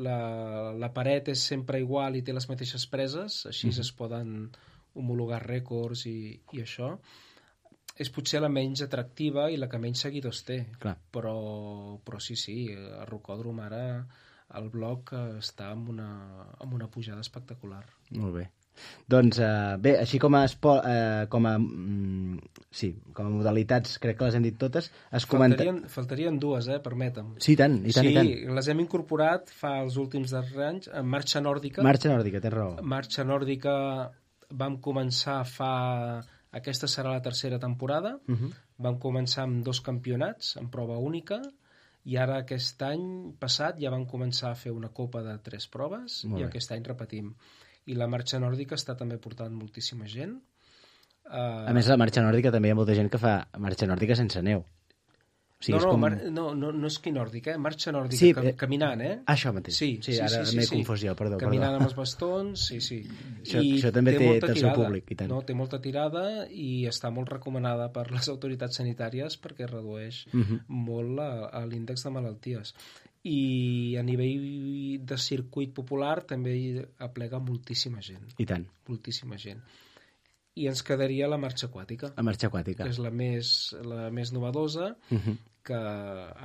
la paret és sempre igual i té les mateixes preses, així es poden homologar rècords i això, és potser la menys atractiva i la que menys seguidors té. Però sí, el rocòdrom ara, el bloc està amb una pujada espectacular. Molt bé. Doncs bé, així com a modalitats, crec que les hem dit totes. Faltarien dues, permetem. Sí, i tant. Sí, les hem incorporat fa els últims darrers anys en Marxa Nòrdica. Marxa Nòrdica, tens raó. Marxa Nòrdica vam començar aquesta serà la tercera temporada. Vam començar amb 2 campionats, en prova única, i ara aquest any passat ja vam començar a fer una copa de 3 proves i aquest any repetim. I la marxa nòrdica està també portant moltíssima gent. A més, la marxa nòrdica també hi ha molta gent que fa marxa nòrdica sense neu. O sigui, no és esquí nòrdic, marxa nòrdica, caminant, Això mateix. Sí, ara m'he confós jo, perdó. Caminant amb els bastons, sí. Això també té el seu públic, i tant. Té molta tirada i està molt recomanada per les autoritats sanitàries perquè redueix molt l'índex de malalties. I a nivell de circuit popular també hi aplega moltíssima gent. I tant. Moltíssima gent. I ens quedaria la marxa aquàtica. La marxa aquàtica. Que és la més novedosa, que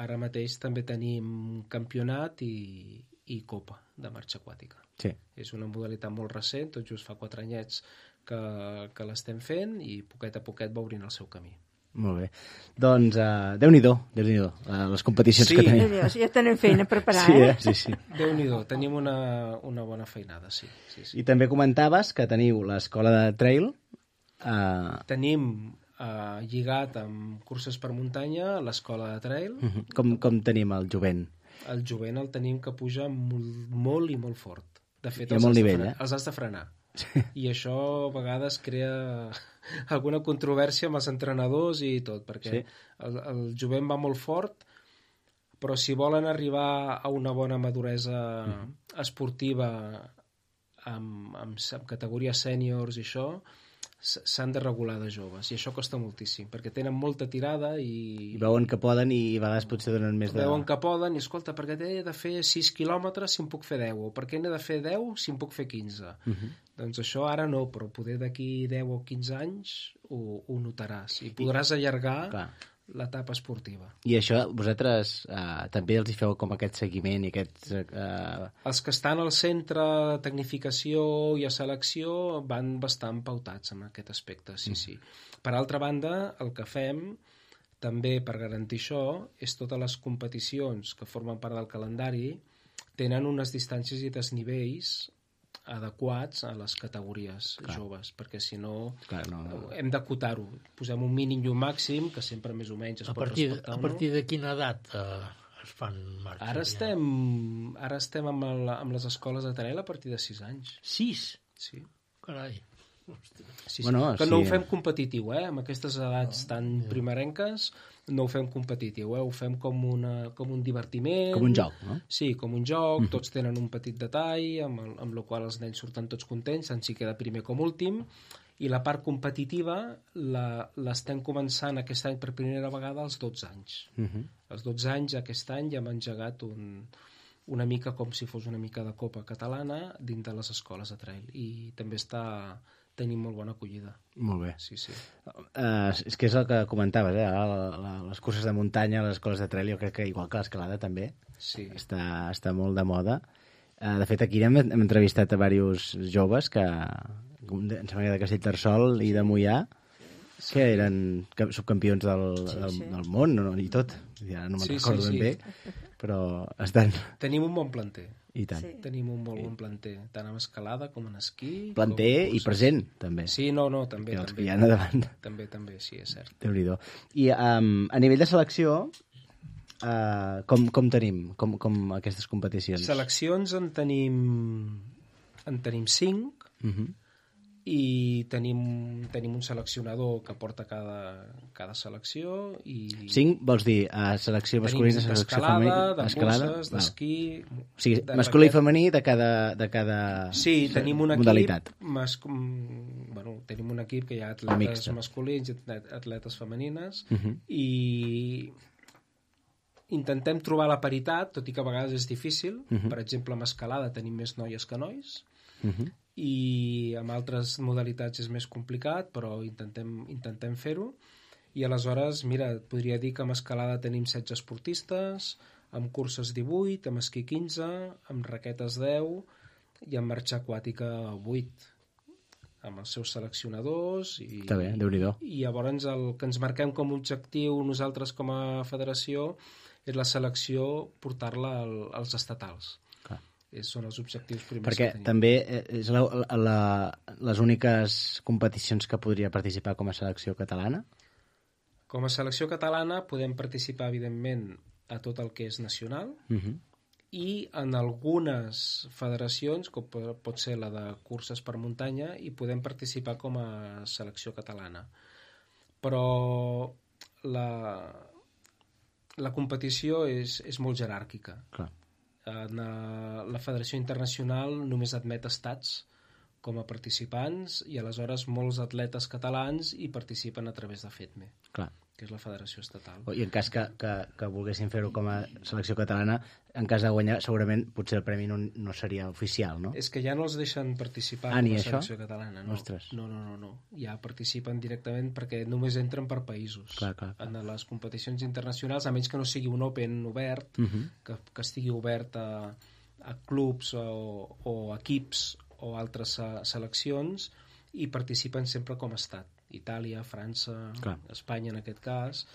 ara mateix també tenim campionat i copa de marxa aquàtica. Sí. És una modalitat molt recent, tot just fa 4 anyets que l'estem fent i poquet a poquet va obrint el seu camí. Molt bé. Doncs Déu-n'hi-do, les competicions que tenim. Ja tenim feina preparada, Sí. Déu-n'hi-do, tenim una bona feinada, sí. I també comentaves que teniu l'escola de trail. Tenim lligat amb curses per muntanya l'escola de trail. Com tenim el jovent? El jovent el tenim que puja molt i molt fort. De fet, els has de frenar. I això a vegades crea alguna controvèrsia amb els entrenadors i tot, perquè el jovent va molt fort, però si volen arribar a una bona maduresa esportiva amb categoria sèniors i això, s'han de regular de joves, i això costa moltíssim, perquè tenen molta tirada i veuen que poden i a vegades potser donen més de... Veuen que poden i, escolta, perquè he de fer 6 quilòmetres si en puc fer 10, o perquè he de fer 10 si en puc fer 15. Doncs això ara no, però poder d'aquí 10 o 15 anys ho notaràs i podràs allargar l'etapa esportiva. I això vosaltres també els hi feu com aquest seguiment i aquests... Els que estan al centre de tecnificació i a selecció van bastant pautats en aquest aspecte, sí. Per altra banda, el que fem també per garantir això és totes les competicions que formen part del calendari tenen unes distàncies i desnivells adequats a les categories joves, perquè si no hem d'acotar-ho. Posem un mínim i un màxim, que sempre més o menys es pot respectar. A partir de quina edat es fan marxes? Ara estem amb les escoles de trail a partir de 6 anys. 6? Sí. Carai. Sí. Que no ho fem competitiu, amb aquestes edats tan primerenques no ho fem competitiu, ho fem com un divertiment. Com un joc, no? Sí, com un joc, tots tenen un petit detall, amb el qual els nens surten tots contents, tant si queda primer com últim, i la part competitiva l'estem començant aquest any per primera vegada als 12 anys. Als 12 anys, aquest any, ja hem engegat una mica com si fos una mica de copa catalana dins de les escoles de trail, i també tenim molt bona acollida. Molt bé. Sí. És que és el que comentaves, les curses de muntanya, les escoles de trail, jo crec que igual que l'escalada també està molt de moda. De fet, aquí hem entrevistat a diversos joves que em sembla que de Castellterçol i de Moià que eren subcampions del món i tot. Ja no me'n recordo ben bé, però estan... Tenim un bon planter. I tant. Tenim un molt bon planter, tant en escalada com en esquí. Planter i present, també. Sí, també. Els que hi ha a davant. També, sí, és cert. Déu-n'hi-do. I a nivell de selecció, com tenim com aquestes competicions? Seleccions en tenim 5, i tenim un seleccionador que porta cada selecció i... 5 vols dir selecció masculina, selecció femenina, d'escalada, de curses, d'esquí... O sigui, masculí i femení de cada sí, tenim un modalitat. Tenim un equip que hi ha atletes masculins i atletes femenines, i intentem trobar la paritat, tot i que a vegades és difícil. Per exemple, amb escalada tenim més noies que nois, i amb altres modalitats és més complicat, però intentem fer-ho. I aleshores, mira, et podria dir que amb escalada tenim 16 esportistes, amb curses 18, amb esquí 15, amb raquetes 10 i amb marxa aquàtica 8. amb els seus seleccionadors Està bé, Déu-n'hi-do. i llavors el que ens marquem com a objectiu nosaltres com a federació és la selecció portar-la als estatals. Clar. Són els objectius primers Perquè que tenim. també és les úniques competicions que podria participar com a selecció catalana? Com a selecció catalana podem participar, evidentment, a tot el que és nacional i en algunes federacions, com pot ser la de curses per muntanya, hi podem participar com a selecció catalana. Però la competició és molt jeràrquica. Clar. La Federació Internacional només admet estats com a participants i aleshores molts atletes catalans hi participen a través de FEDME, Clar. que és la federació estatal. I en cas que volguessin fer-ho com a selecció catalana, en cas de guanyar, segurament potser el premi no seria oficial, no? És que ja no els deixen participar Ah, com ni a això? selecció catalana. No. Ostres. No. Ja participen directament perquè només entren per països. Clar. En les competicions internacionals, a menys que no sigui un Open obert, que estigui obert a clubs o equips o altres seleccions, i participen sempre com a estat. Itàlia, França, Clar. Espanya en aquest cas,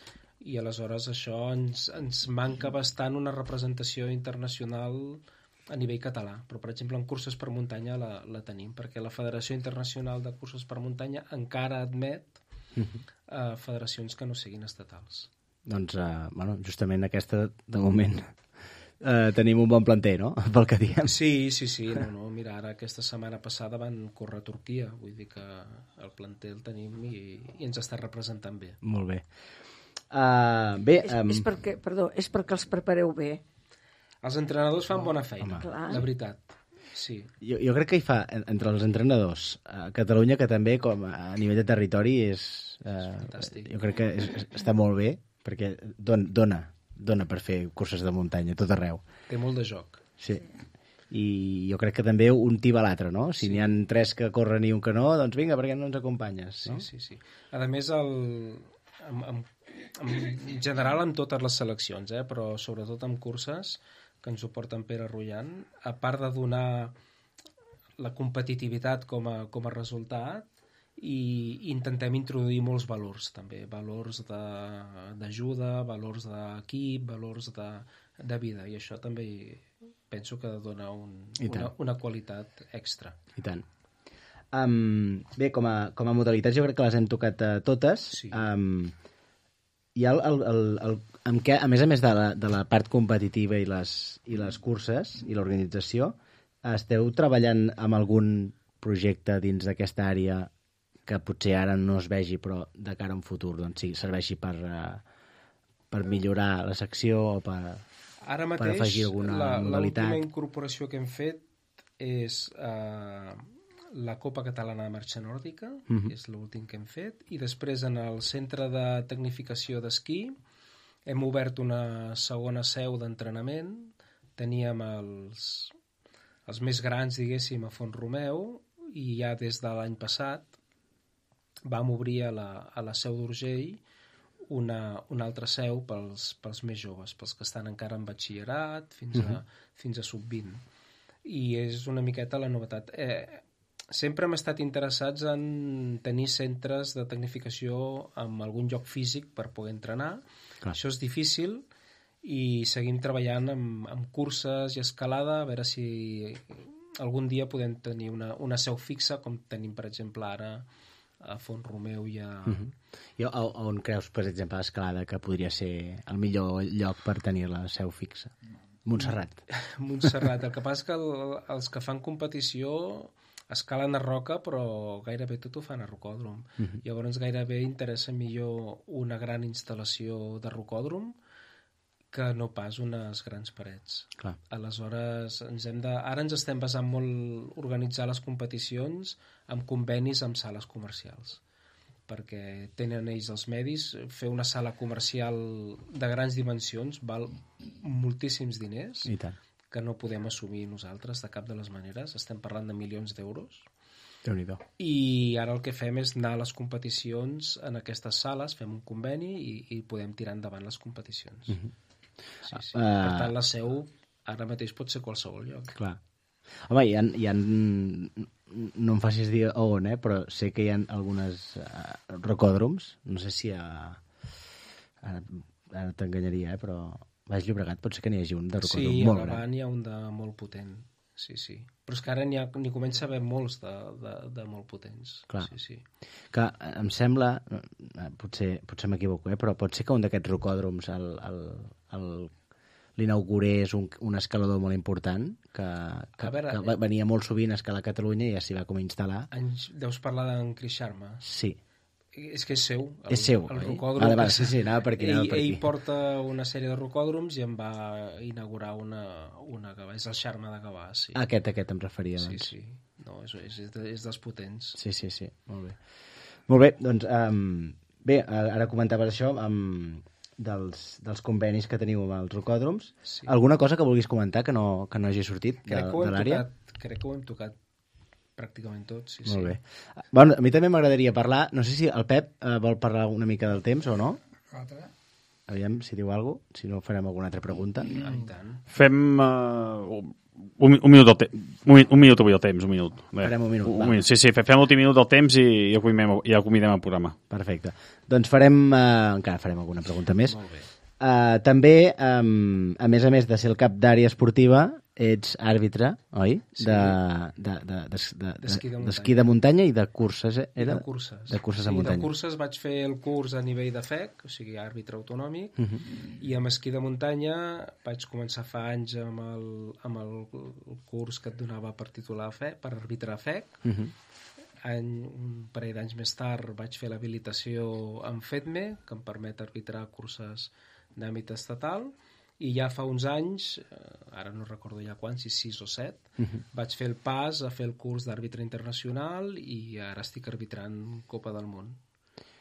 i aleshores això ens manca bastant una representació internacional a nivell català, però per exemple en curses per muntanya la tenim, perquè la Federació Internacional de Curses per Muntanya encara admet federacions que no siguin estatals. Doncs, justament aquesta, de moment, tenim un bon planter, no?, pel que diem. Sí. No, mira, ara aquesta setmana passada van córrer a Turquia, vull dir que el planter el tenim i ens està representant bé. Molt bé. És perquè els prepareu bé. Els entrenadors fan bona feina, Clar. la veritat. Sí. Jo crec que hi fa, entre els entrenadors, a Catalunya, que també com a nivell de territori és fantàstic. Jo crec que està molt bé, perquè dona per fer curses de muntanya a tot arreu. Té molt de joc. Sí. I jo crec que també un tiba l'altre, no? Si n'hi ha 3 que corren i un que no, doncs vinga, per què no ens acompanyes? No? Sí. A més, en general en totes les seleccions, però sobretot en curses, que ens ho porten Pere Rullant, a part de donar la competitivitat com a resultat, i intentem introduir molts valors també, valors d'ajuda, valors d'equip, valors de vida, i això també penso que dona una qualitat extra. I tant. Bé, com a modalitats jo crec que les hem tocat totes. Sí. Hi ha en què, a més de la part competitiva i les curses i l'organització, esteu treballant amb algun projecte dins d'aquesta àrea que potser ara no es vegi, però de cara a un futur doncs sí, serveixi per millorar la secció o per afegir alguna modalitat? L'última incorporació que hem fet és la Copa Catalana de Marxa Nòrdica, és l'últim que hem fet, i després en el Centre de Tecnificació d'Esquí hem obert una segona seu d'entrenament. Teníem els més grans, diguéssim, a Font-romeu, i ja des de l'any passat vam obrir a la Seu d'Urgell una altra seu pels més joves, pels que estan encara en batxillerat, fins a sub-20. I és una miqueta la novetat. Sempre hem estat interessats en tenir centres de tecnificació amb algun lloc físic per poder entrenar. Clar. Això és difícil i seguim treballant amb curses i escalada, a veure si algun dia podem tenir una seu fixa, com tenim, per exemple, ara a Font-romeu i a... I on creus, per exemple, l'escalada, que podria ser el millor lloc per tenir la seu fixa? Montserrat. Montserrat. El que passa és que els que fan competició escalen a roca, però gairebé tot ho fan a rocòdrom. Llavors gairebé interessa millor una gran instal·lació de rocòdrom que no pas unes grans parets. Clar. Aleshores, ara ens estem basant molt organitzar les competicions amb convenis amb sales comercials, perquè tenen ells els medis. Fer una sala comercial de grans dimensions val moltíssims diners, I tant. que no podem assumir nosaltres de cap de les maneres. Estem parlant de milions d'euros. Déu-n'hi-do. I ara el que fem és anar a les competicions en aquestes sales, fem un conveni i podem tirar endavant les competicions. Sí. Per tant, la seu ara mateix pot ser qualsevol lloc. Clar. Home, hi ha no em facis dir on, però sé que hi ha algunes rocòdroms, no sé si ara t'enganyaria, però Baix Llobregat pot ser que n'hi hagi un de rocòdrom molt gran. Sí, a Gavà n'hi ha un de molt potent, sí. Però és que ara n'hi comença a haver molts de molt potents. Clar. Sí. Que em sembla, potser m'equivoco, però pot ser que un d'aquests rocòdroms l'inaugurés un escalador molt important que venia molt sovint a escalar a Catalunya i ja s'hi va com a instal·lar. Deus parlar d'en Chris Sharma? Sí. És que és seu. És seu, el rocòdrom. Sí, anava per aquí. Ell porta una sèrie de rocòdroms i en va inaugurar una Gavà. És el Sharma de Gavà, sí. Aquest em referia, doncs. Sí. No, és dels potents. Sí. Molt bé, doncs... Bé, ara comentaves això dels convenis que teniu amb els rocòdroms. Sí. Alguna cosa que vulguis comentar que no hagi sortit de l'àrea? Crec que ho hem tocat pràcticament tot, sí. Molt bé. Bueno, a mi també m'agradaria parlar, no sé si el Pep vol parlar una mica del temps o no. Aviam si diu alguna cosa, si no farem alguna altra pregunta. Fem un minut avui el temps, un minut. Farem un minut. Sí, fem l'últim minut del temps i ja convidem el programa. Perfecte. Doncs encara farem alguna pregunta més. Molt bé. També, a més de ser el cap d'àrea esportiva, ets àrbitre, oi? Sí. D'esquí de muntanya i de curses, era? De curses. De curses de muntanya. De curses vaig fer el curs a nivell de FEC, o sigui, àrbitre autonòmic, i amb esquí de muntanya vaig començar fa anys amb el curs que et donava per titular FEC, per arbitrar FEC. Un parell d'anys més tard vaig fer l'habilitació amb FEDME, que em permet arbitrar curses d'àmbit estatal, i ja fa uns anys, ara no recordo ja quants, si 6 o 7, vaig fer el pas a fer el curs d'àrbitre internacional i ara estic arbitrant Copa del Món,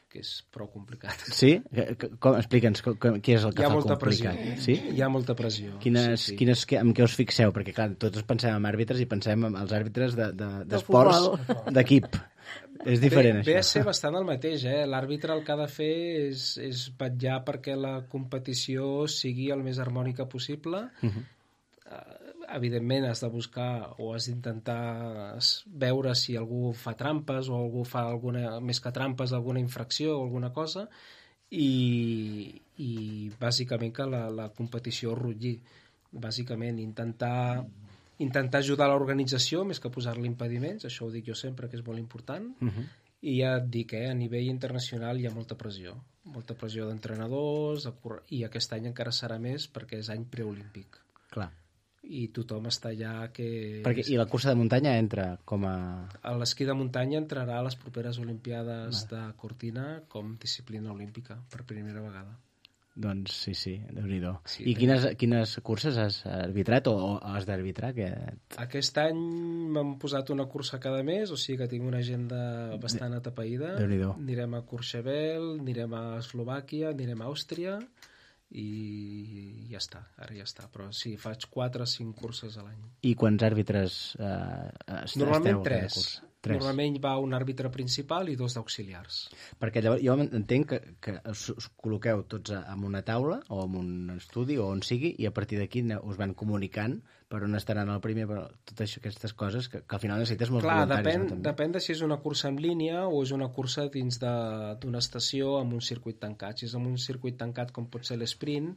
que és prou complicat. Sí? Explica'ns, què és el que fa complicat? Sí? Hi ha molta pressió. En què us fixeu? Perquè, clar, tots pensem en àrbitres i pensem en els àrbitres d'esports d'equip. És diferent, això. Ve a ser bastant el mateix, L'àrbitre el que ha de fer és vetllar perquè la competició sigui el més harmònica possible. Evidentment has de buscar o has d'intentar veure si algú fa trampes o algú fa més que trampes, alguna infracció o alguna cosa, i bàsicament que la competició rutlli. Bàsicament intentar ajudar l'organització més que posar-li impediments, això ho dic jo sempre que és molt important, i ja et dic, a nivell internacional hi ha molta pressió d'entrenadors, i aquest any encara serà més perquè és any preolímpic. Clar. I tothom està allà que... I la cursa de muntanya entra com a... L'esquí de muntanya entrarà a les properes Olimpiades de Cortina com disciplina olímpica per primera vegada. Doncs sí, Déu-n'hi-do. Sí, I quines curses has arbitrat o has d'arbitrar? Aquest any m'han posat una cursa cada mes, o sigui que tinc una agenda bastant atapeïda. Déu-n'hi-do. Anirem a Courchevel, anirem a Eslovàquia, anirem a Àustria i ja està, ara ja està. Però sí, faig 4 o 5 curses a l'any. I quants àrbitres Normalment 3. Normalment va un àrbitre principal i 2 d'auxiliars. Perquè llavors jo entenc que us col·loqueu tots en una taula o en un estudi o on sigui i a partir d'aquí us van comunicant per on estaran el primer, però totes aquestes coses que al final necessites molts voluntaris. Depèn de si és una cursa en línia o és una cursa dins d'una estació amb un circuit tancat. Si és amb un circuit tancat com pot ser l'esprint,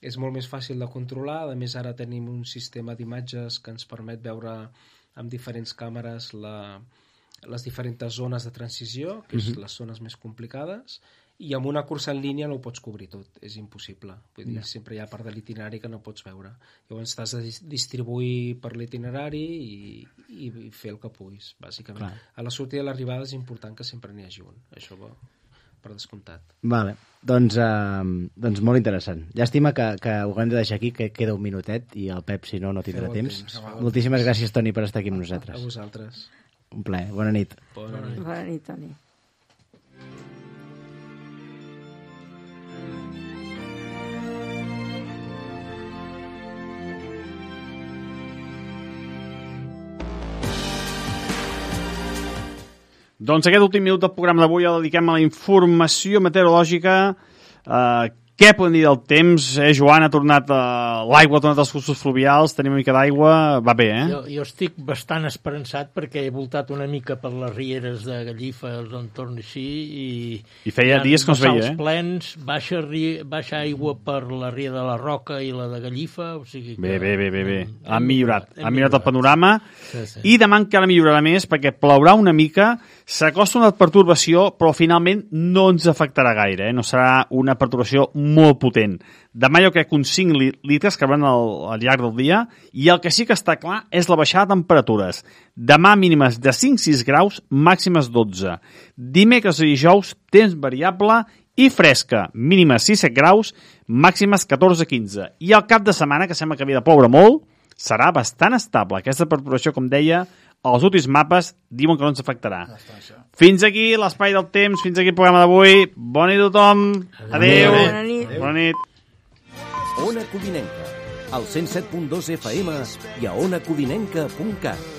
és molt més fàcil de controlar. A més, ara tenim un sistema d'imatges que ens permet veure amb diferents càmeres les diferents zones de transició, que és les zones més complicades, i amb una cursa en línia no ho pots cobrir tot, és impossible. Vull dir, sempre hi ha part de l'itinerari que no pots veure. Llavors t'has de distribuir per l'itinerari i fer el que puguis, bàsicament. Clar. A la sortida i l'arribada és important que sempre n'hi hagi un. Això va per descomptat. Vale. Doncs molt interessant. Llàstima que ho haguem de deixar aquí, que queda un minutet i el Pep, si no tindrà temps. Moltíssimes gràcies, Toni, per estar aquí amb nosaltres. A vosaltres. Un plaer. Bona nit. Bona nit. Bona nit, Toni. Doncs aquest últim minut del programa d'avui el dediquem a la informació meteorològica. Què podem dir del temps? Joan, ha tornat l'aigua, ha tornat als cursos fluvials, tenim una mica d'aigua, va bé, Jo estic bastant esperançat perquè he voltat una mica per les rieres de Gallifa, els entorns així, i feia dies que no es veia, bassals plens, baixa aigua per la ria de la Roca i la de Gallifa, o sigui que... Bé. Han millorat el panorama, sí. I demà encara millorarà més perquè plourà una mica, s'acosta una pertorbació, però finalment no ens afectarà gaire, no serà una pertorbació molt potent. Demà jo crec que uns 5 litres que van al llarg del dia, i el que sí que està clar és la baixada de temperatures. Demà mínimes de 5-6 graus, màximes 12. Dimecres i dijous, temps variable i fresca, mínimes 6-7 graus, màximes 14-15. I el cap de setmana, que sembla que havia de ploure molt, serà bastant estable. Aquesta perturbació, com deia, els últims mapes diuen que no ens afectarà. Fins aquí l'espai del temps, fins aquí el programa d'avui. Bona nit a tothom. Adéu. Bona nit. Ona Codinenca, al 107.2 FM i a onacodinenca.cat.